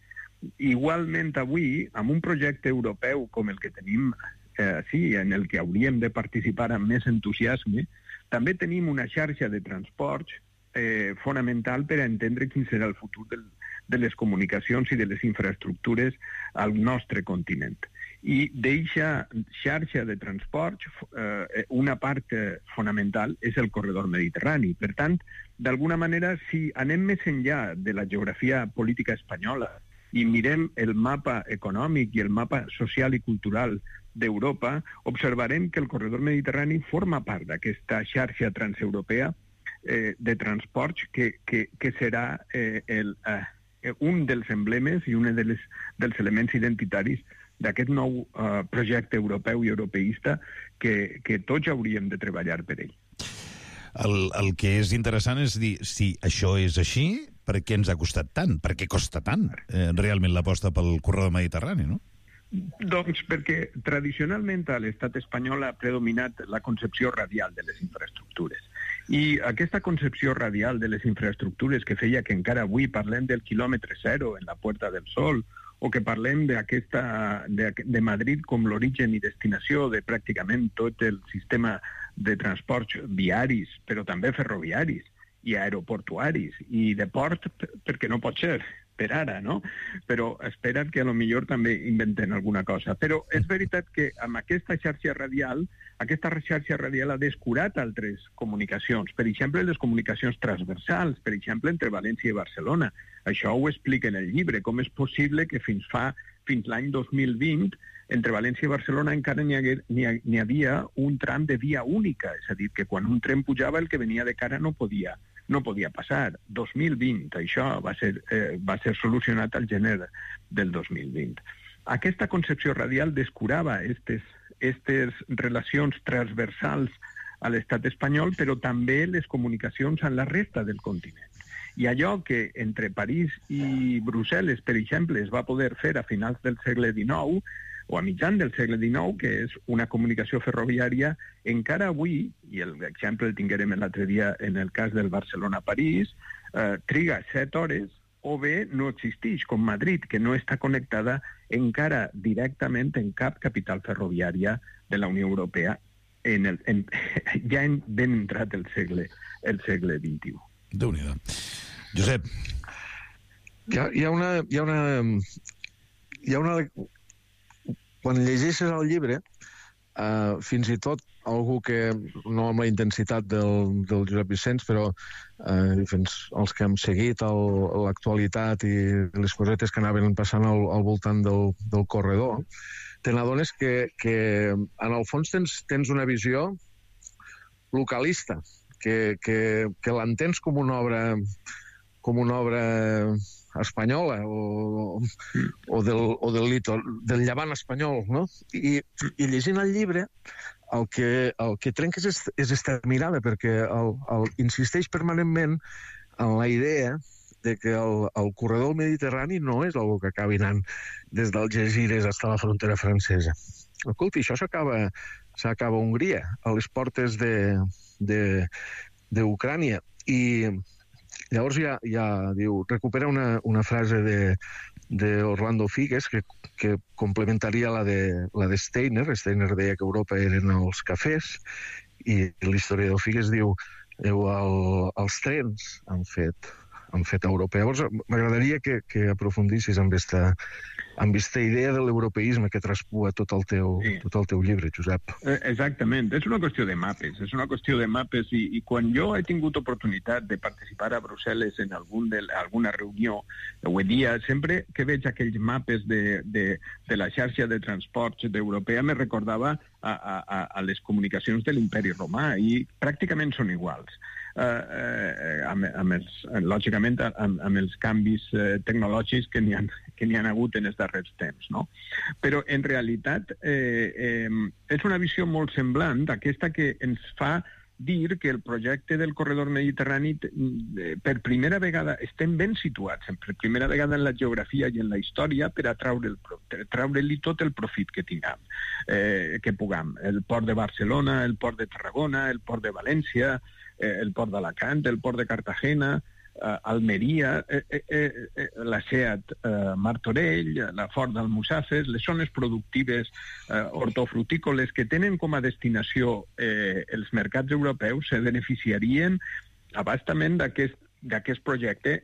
igualment avui, amb un projecte europeu com el que tenim, en el que hauríem de participar amb més entusiasme, també tenim una xarxa de transports fonamental per a entendre quin serà el futur de les comunicacions i de les infraestructures al nostre continent. I d'eixa xarxa de transports, una part fonamental és el corredor mediterrani. Per tant, d'alguna manera, si anem més enllà de la geografia política espanyola i mirem el mapa econòmic i el mapa social i cultural d'Europa, observarem que el corredor mediterrani forma part d'aquesta xarxa transeuropea de transports que serà un dels emblemes i un dels elements identitaris d'aquest nou projecte europeu i europeista que tots hauríem de treballar per ell. El que és interessant és dir, si això és així, per què ens ha costat tant? Per què costa tant realment l'aposta pel corredor mediterrani, no? Doncs perquè tradicionalment a l'estat espanyol ha predominat la concepció radial de les infraestructures. I aquesta concepció radial de les infraestructures que feia que encara avui parlem del quilòmetre zero en la Puerta del Sol, o que parlem de Madrid com l'origen i destinació de pràcticament tot el sistema de transports viaris, però també ferroviaris i aeroportuaris, i de port, perquè no pot ser per ara, no? Però espera't que a lo millor també inventen alguna cosa. Però és veritat que amb aquesta xarxa radial ha descurat altres comunicacions, per exemple, les comunicacions transversals, per exemple, entre València i Barcelona. Això ho explica en el llibre, com és possible que fins l'any 2020 entre València i Barcelona encara n'hi havia un tram de via única, és a dir, que quan un tren pujava el que venia de cara no podia passar. 2020, això va ser solucionat al gener del 2020. Aquesta concepció radial descurava aquestes relacions transversals a l'estat espanyol, però també les comunicacions amb la resta del continent. I allò que entre París i Brussel·les, per exemple, es va poder fer a finals del segle XIX o a mitjan del segle XIX, que és una comunicació ferroviària, encara avui, i l'exemple el tinguérem l'altre dia en el cas del Barcelona-París, triga 7 hores, o bé no existeix, com Madrid, que no està connectada encara directament en cap capital ferroviària de la Unió Europea, ja ben entrat el segle XXI. Déu-n'hi-do. Josep. Hi ha una... Quan llegeixes el llibre, fins i tot algú que, no amb la intensitat del Josep Vicenç, però els que hem seguit l'actualitat i les cosetes que anaven passant al voltant del corredor, te n'adones que en el fons tens una visió localista, que l'entens com una obra espanyola o del llevant espanyol, no? I llegint el llibre el que trenques és esta mirada, perquè insisteix permanentment en la idea de que el corredor mediterrani no és algo que acabi anant des d'Algesires fins a la frontera francesa. Escolta, això s'acaba a Hongria, a les portes d'Ucrània. I llavors ja diu, recupera una frase d'Orlando Figues que complementaria la de Steiner. Steiner deia que Europa eren els cafès, i l'historiador Figues diu els trens han fet Europa. Llavors m'agradaria que aprofundissis amb aquesta idea de l'europeisme que traspua tot el teu llibre, Josep. Exactament, és una qüestió de mapes, i quan jo he tingut oportunitat de participar a Brussel·les en alguna reunió, ho dia, sempre que veig aquells mapes de la xarxa de transports europea me recordava a les comunicacions de l'Imperi Romà, i pràcticament són iguals. Lògicament amb els canvis tecnològics que n'hi ha hagut en els darrers temps, no? Però en realitat és una visió molt semblant d'aquesta que ens fa dir que el projecte del corredor mediterrani per primera vegada estem ben situats, per primera vegada en la geografia i en la història, per a treure-li tot el profit que tinguem, que puguem. El port de Barcelona, el port de Tarragona, el port de València, el port d'Alacant, el port de Cartagena, Almeria, la SEAT Martorell, la Fort d'Almussafes, les zones productives hortofrutícoles que tenen com a destinació els mercats europeus se beneficiarien abastament d'aquest projecte,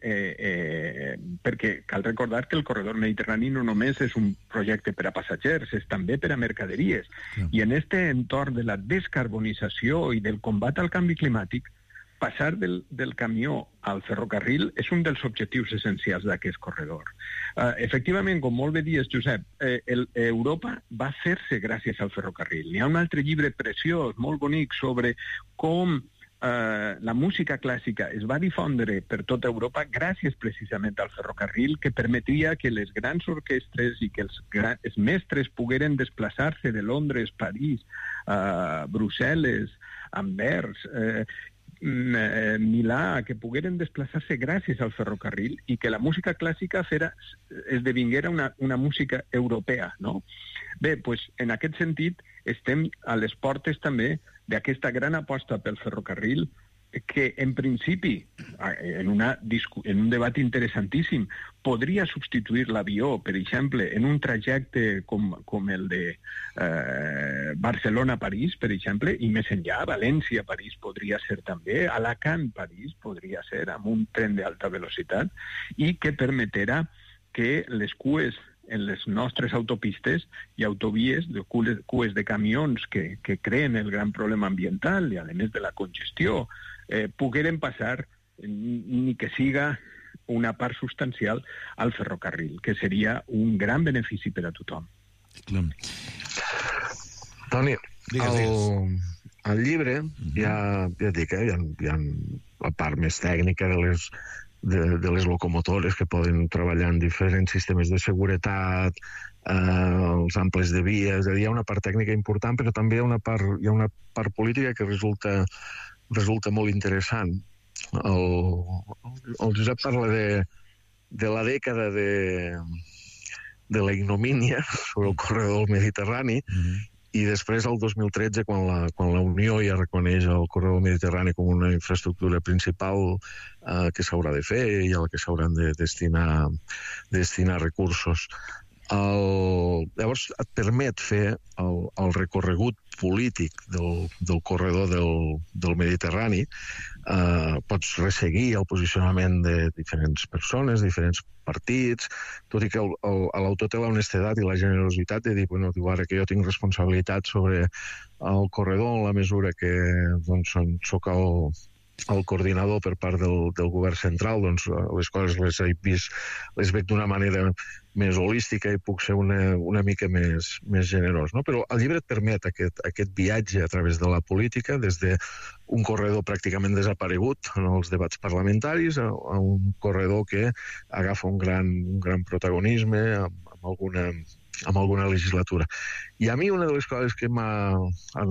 perquè cal recordar que el corredor mediterrani no només és un projecte per a passatgers, és també per a mercaderies. I en aquest entorn de la descarbonització i del combat al canvi climàtic, passar del camió al ferrocarril és un dels objectius essencials d'aquest corredor. Efectivament, com molt bé dius, Josep, Europa va fer-se gràcies al ferrocarril. Hi ha un altre llibre preciós, molt bonic, sobre com la música clàssica es va difondre per tota Europa gràcies precisament al ferrocarril, que permetia que les grans orquestres i que els mestres pogueren desplaçar-se de Londres, París, Brussel·les, Anvers, Milà, que pogueren desplaçar-se gràcies al ferrocarril, i que la música clàssica esdevinguera una música europea, no? Bé, doncs, en aquest sentit, estem a les portes també d'aquesta gran aposta pel ferrocarril, que en principi, en un debat interessantíssim, podria substituir l'avió, per exemple, en un trajecte com el de Barcelona-París, per exemple, i més enllà, València-París podria ser també, Alacant-París podria ser, amb un tren d'alta velocitat, i que permeterà que les cues en les nostres autopistes i autovies, cues de camions que creen el gran problema ambiental i, a més de la congestió, pogueren passar, ni que siga una part substancial, al ferrocarril, que seria un gran benefici per a tothom. Toni, al llibre ja et dic, hi ha la part més tècnica de les locomotores que poden treballar en diferents sistemes de seguretat, els amples de vies. Hi ha una part tècnica important, però també hi ha una part política que resulta molt interessant. El Josep parla de la dècada de la ignomínia sobre el corredor del Mediterrani, i després, el 2013, quan la Unió ja reconeix el corredor mediterrani com una infraestructura principal que s'haurà de fer i a la que s'hauran de destinar recursos. Llavors et permet fer el recorregut polític del corredor del Mediterrani. Pots resseguir el posicionament de diferents persones, diferents partits, tot i que l'autor té l'honestedat i la generositat de dir, bueno, ara que jo tinc responsabilitat sobre el corredor en la mesura que soc el coordinador per part del govern central, doncs les coses les veig d'una manera més holística i puc ser una mica més generós. Però el llibre et permet aquest viatge a través de la política, des d'un corredor pràcticament desaparegut en els debats parlamentaris a un corredor que agafa un gran protagonisme amb alguna legislatura. I a mi una de les coses que en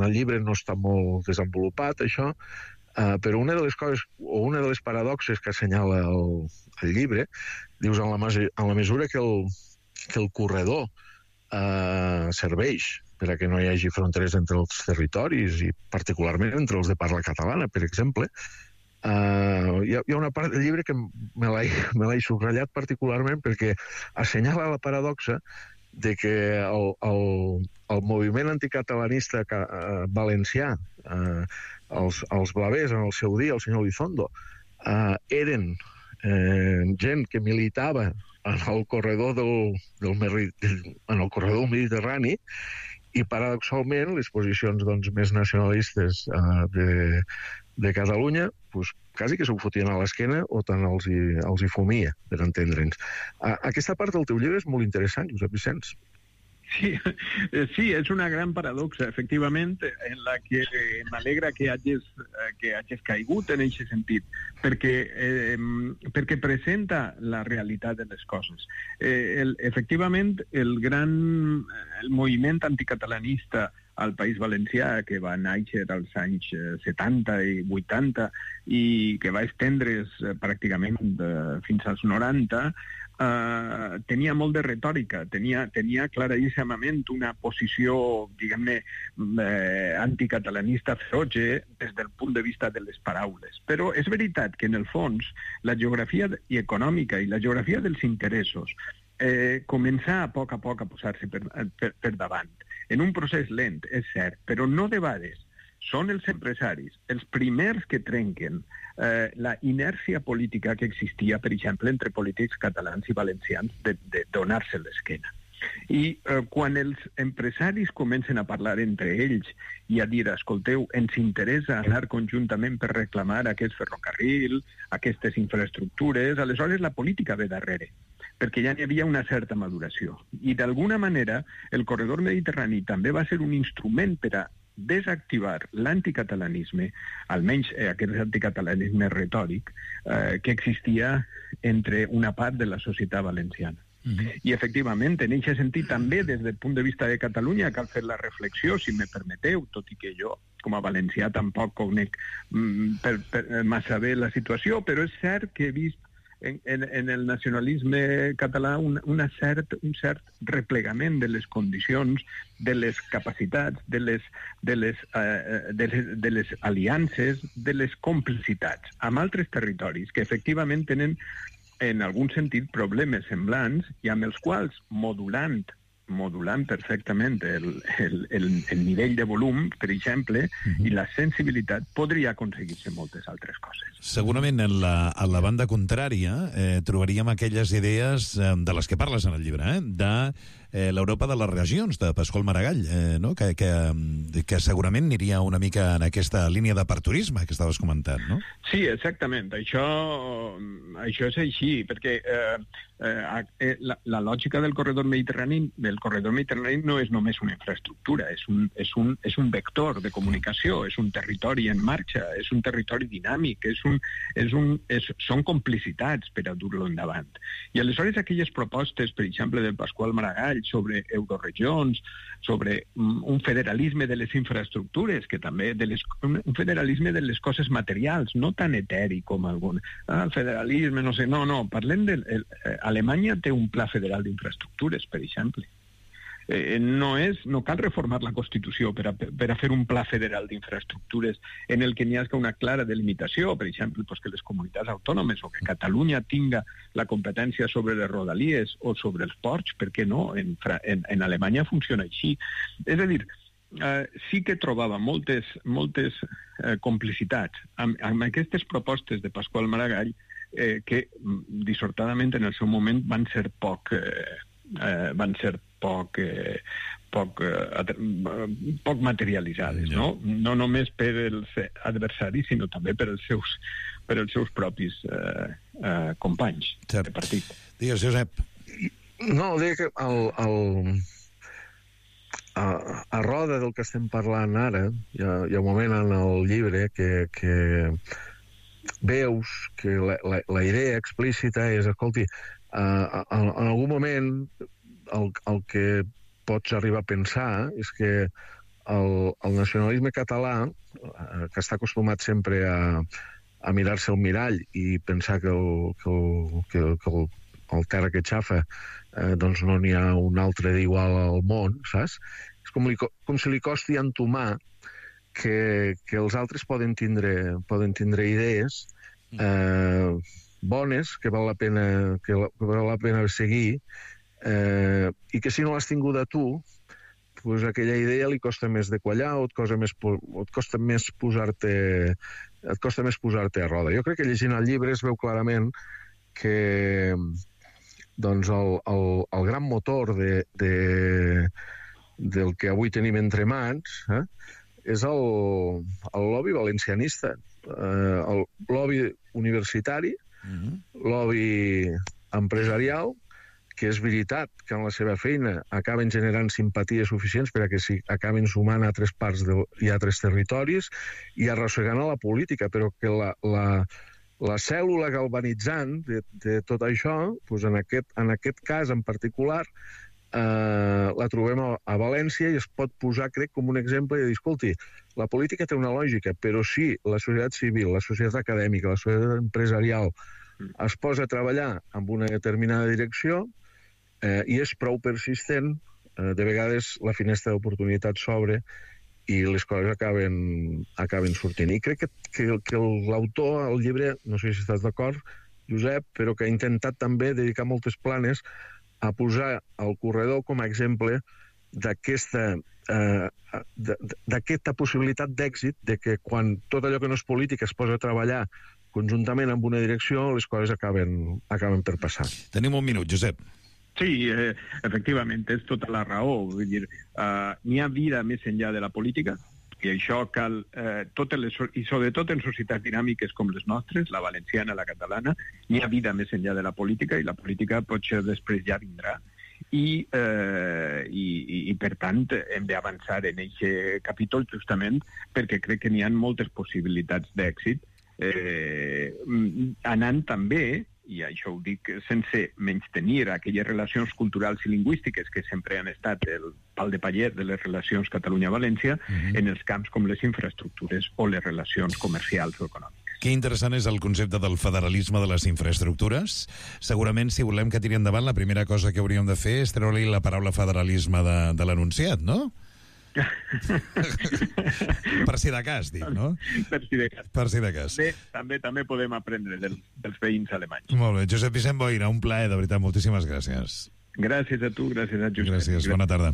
el llibre no està molt desenvolupat, això, però una de les coses, o una de les paradoxes que assenyala el llibre, dius, en la mesura que el corredor serveix per a que no hi hagi fronteres entre els territoris i particularment entre els de parla catalana, per exemple, hi ha una part del llibre que me l'he subratllat particularment perquè assenyala la paradoxa de que el moviment anticatalanista valencià, els blavers en el seu dia, el senyor Elizondo, eren gent que militava en el corredor del Mediterrani, i paradoxalment les posicions més nacionalistes de Catalunya quasi que s'ho fotien a l'esquena o tant els hi fumia, per entendre'ns. Aquesta part del teu llibre és molt interessant, Josep Vicenç. Sí, és una gran paradoxa, efectivament, en la que m'alegra que hagis caigut en aquest sentit, perquè presenta la realitat de les coses. Efectivament, el moviment anticatalanista al País Valencià, que va néixer als anys 70 i 80 i que va estendre's pràcticament fins als 90, tenia molt de retòrica, tenia claríssimament una posició, diguem-ne, anticatalanista feroge des del punt de vista de les paraules. Però és veritat que, en el fons, la geografia econòmica i la geografia dels interessos comença a poc a posar-se per davant. En un procés lent, és cert, però no debades. Són els empresaris els primers que trenquen la inèrcia política que existia, per exemple, entre polítics catalans i valencians de donar-se l'esquena. I quan els empresaris comencen a parlar entre ells i a dir, escolteu, ens interessa anar conjuntament per reclamar aquest ferrocarril, aquestes infraestructures, aleshores la política ve darrere, perquè ja n'hi havia una certa maduració. I d'alguna manera el corredor mediterrani també va ser un instrument per a desactivar l'anticatalanisme, almenys aquest anticatalanisme retòric, que existia entre una part de la societat valenciana. I efectivament, en aquest sentit, també des del punt de vista de Catalunya cal fer la reflexió, si me permeteu, tot i que jo, com a valencià, tampoc conec massa bé la situació, però és cert que he vist en el nacionalisme català un cert replegament de les condicions, de les capacitats, de les aliances, de les complicitats amb altres territoris que efectivament tenen en algun sentit problemes semblants i amb els quals modulant perfectament el nivell de volum, per exemple, i la sensibilitat, podria aconseguir-se moltes altres coses. Segurament en la banda contrària trobaríem aquelles idees de les que parles en el llibre, de l'Europa de les regions, de Pasqual Maragall, no? que segurament aniria una mica en aquesta línia d'aperturisme que estaves comentant, no? Sí, exactament. Això és així, perquè la lògica del corredor mediterrani no és només una infraestructura, és un vector de comunicació, és un territori en marxa, és un territori dinàmic, són complicitats per a dur-lo endavant. I aleshores aquelles propostes, per exemple, del Pasqual Maragall sobre euroregions, sobre un federalisme de les infraestructures, que també un federalisme de les coses materials, no tan eteri com algun federalisme, no sé, no, parlem de... Alemanya té un pla federal d'infraestructures, per exemple. No cal reformar la Constitució per a fer un pla federal d'infraestructures en el que n'hi hagi una clara delimitació, per exemple, que les comunitats autònomes o que Catalunya tinga la competència sobre les rodalies o sobre els ports, per què no? En Alemanya funciona així. És a dir, sí que trobava moltes complicitats amb aquestes propostes de Pasqual Maragall que, dissortadament, en el seu moment van ser poc materialitzades, no? No només per els adversaris, sinó també per els seus propis companys de partit. Digues, Josep. No, deia que a roda del que estem parlant ara, hi ha un moment en el llibre que veus que la idea explícita és, escolti, en algun moment el que pots arribar a pensar és que el nacionalisme català, que està acostumat sempre a mirar-se al mirall i pensar que el terra que xafa doncs no n'hi ha un altre d'igual al món, saps? És com si li costi entomar que els altres poden tindre idees bones que val la pena seguir i que si no l'has tinguda tu, pues aquella idea li costa més de quallar o et costa més posar-te a roda. Jo crec que llegint el llibre es veu clarament que doncs el gran motor del que avui tenim entre mans és el lobby valencianista, el lobby universitari, lobby empresarial, que és veritat que en la seva feina acaben generant simpaties suficients per a que acaben sumant a altres parts i a altres territoris i arrossegant a la política, però que la cèl·lula galvanitzant de tot això, doncs en aquest cas en particular, la trobem a València i es pot posar, crec, com un exemple i dir, escolti, la política té una lògica, però si la societat civil, la societat acadèmica, la societat empresarial es posa a treballar amb una determinada direcció i és prou persistent, de vegades la finestra d'oportunitat s'obre i les coses acaben sortint. I crec que l'autor, al llibre, no sé si estàs d'acord, Josep, però que ha intentat també dedicar moltes planes a posar el corredor com a exemple d'aquesta possibilitat d'èxit, de que quan tot allò que no és política es posa a treballar conjuntament amb una direcció, les coses acaben per passar. Tenim un minut, Josep. Sí, efectivament, tens tota la raó. Vull dir, n'hi ha vida més enllà de la política, i això cal, i sobretot en societats dinàmiques com les nostres, la valenciana, la catalana, n'hi ha vida més enllà de la política, i la política potser després ja vindrà. I per tant, hem d'avançar en aquest capítol justament perquè crec que n'hi ha moltes possibilitats d'èxit, anant també, i això ho dic sense menystenir aquelles relacions culturals i lingüístiques que sempre han estat el pal de paller de les relacions Catalunya-València, en els camps com les infraestructures o les relacions comercials o econòmiques. Que interessant és el concepte del federalisme de les infraestructures. Segurament, si volem que tiri endavant, la primera cosa que hauríem de fer és treure-li la paraula federalisme de l'anunciat, no? Per si de cas, dic, no? Per si de cas. També podem aprendre dels veïns alemanys. Molt bé. Josep Vicent Boira, un plaer, de veritat, moltíssimes gràcies. Gràcies a tu, gràcies a Josep. Gràcies, bona tarda.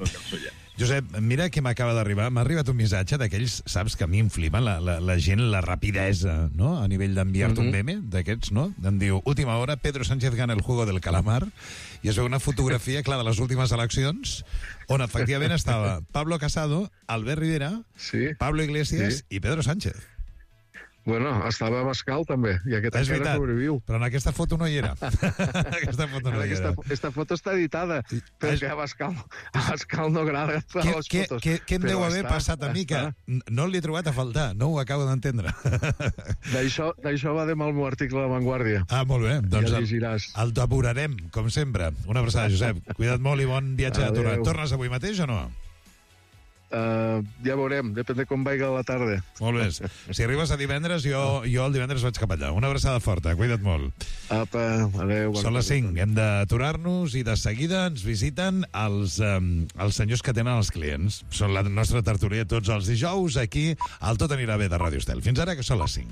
Josep, mira que m'acaba d'arribar. M'ha arribat un missatge d'aquells, saps, que a mi em flipa la gent, la rapidesa, no?, a nivell d'enviar-te un meme d'aquests, no? Em diu, última hora, Pedro Sánchez gana el juego del calamar, i es veu una fotografia, clar, de les últimes eleccions, on efectivament estava Pablo Casado, Albert Rivera, Pablo Iglesias i Pedro Sánchez. Bueno, estava Abascal també, i aquest encara sobreviu. Però en aquesta foto no hi era. Aquesta foto està editada, perquè Abascal no agrada les fotos. Què em deu haver passat a mi, que no l'he trobat a faltar? No ho acabo d'entendre. D'això va de mal el meu article de La Vanguardia. Ah, molt bé. Doncs ja el devorarem, com sempre. Una abraçada, Josep. Cuida't molt i bon viatge a Torà. Tornes avui mateix o no? Ja veurem, depèn de com vaiga la tarda. Molt bé. Si arribes a divendres, jo el divendres vaig cap allà. Una abraçada forta, cuida't molt. Apa, adéu. Són les 5, hem d'aturar-nos i de seguida ens visiten els senyors que tenen els clients. Són la nostra tertúlia tots els dijous aquí al Tot anirà bé de Ràdio Estel. Fins ara, que són les 5.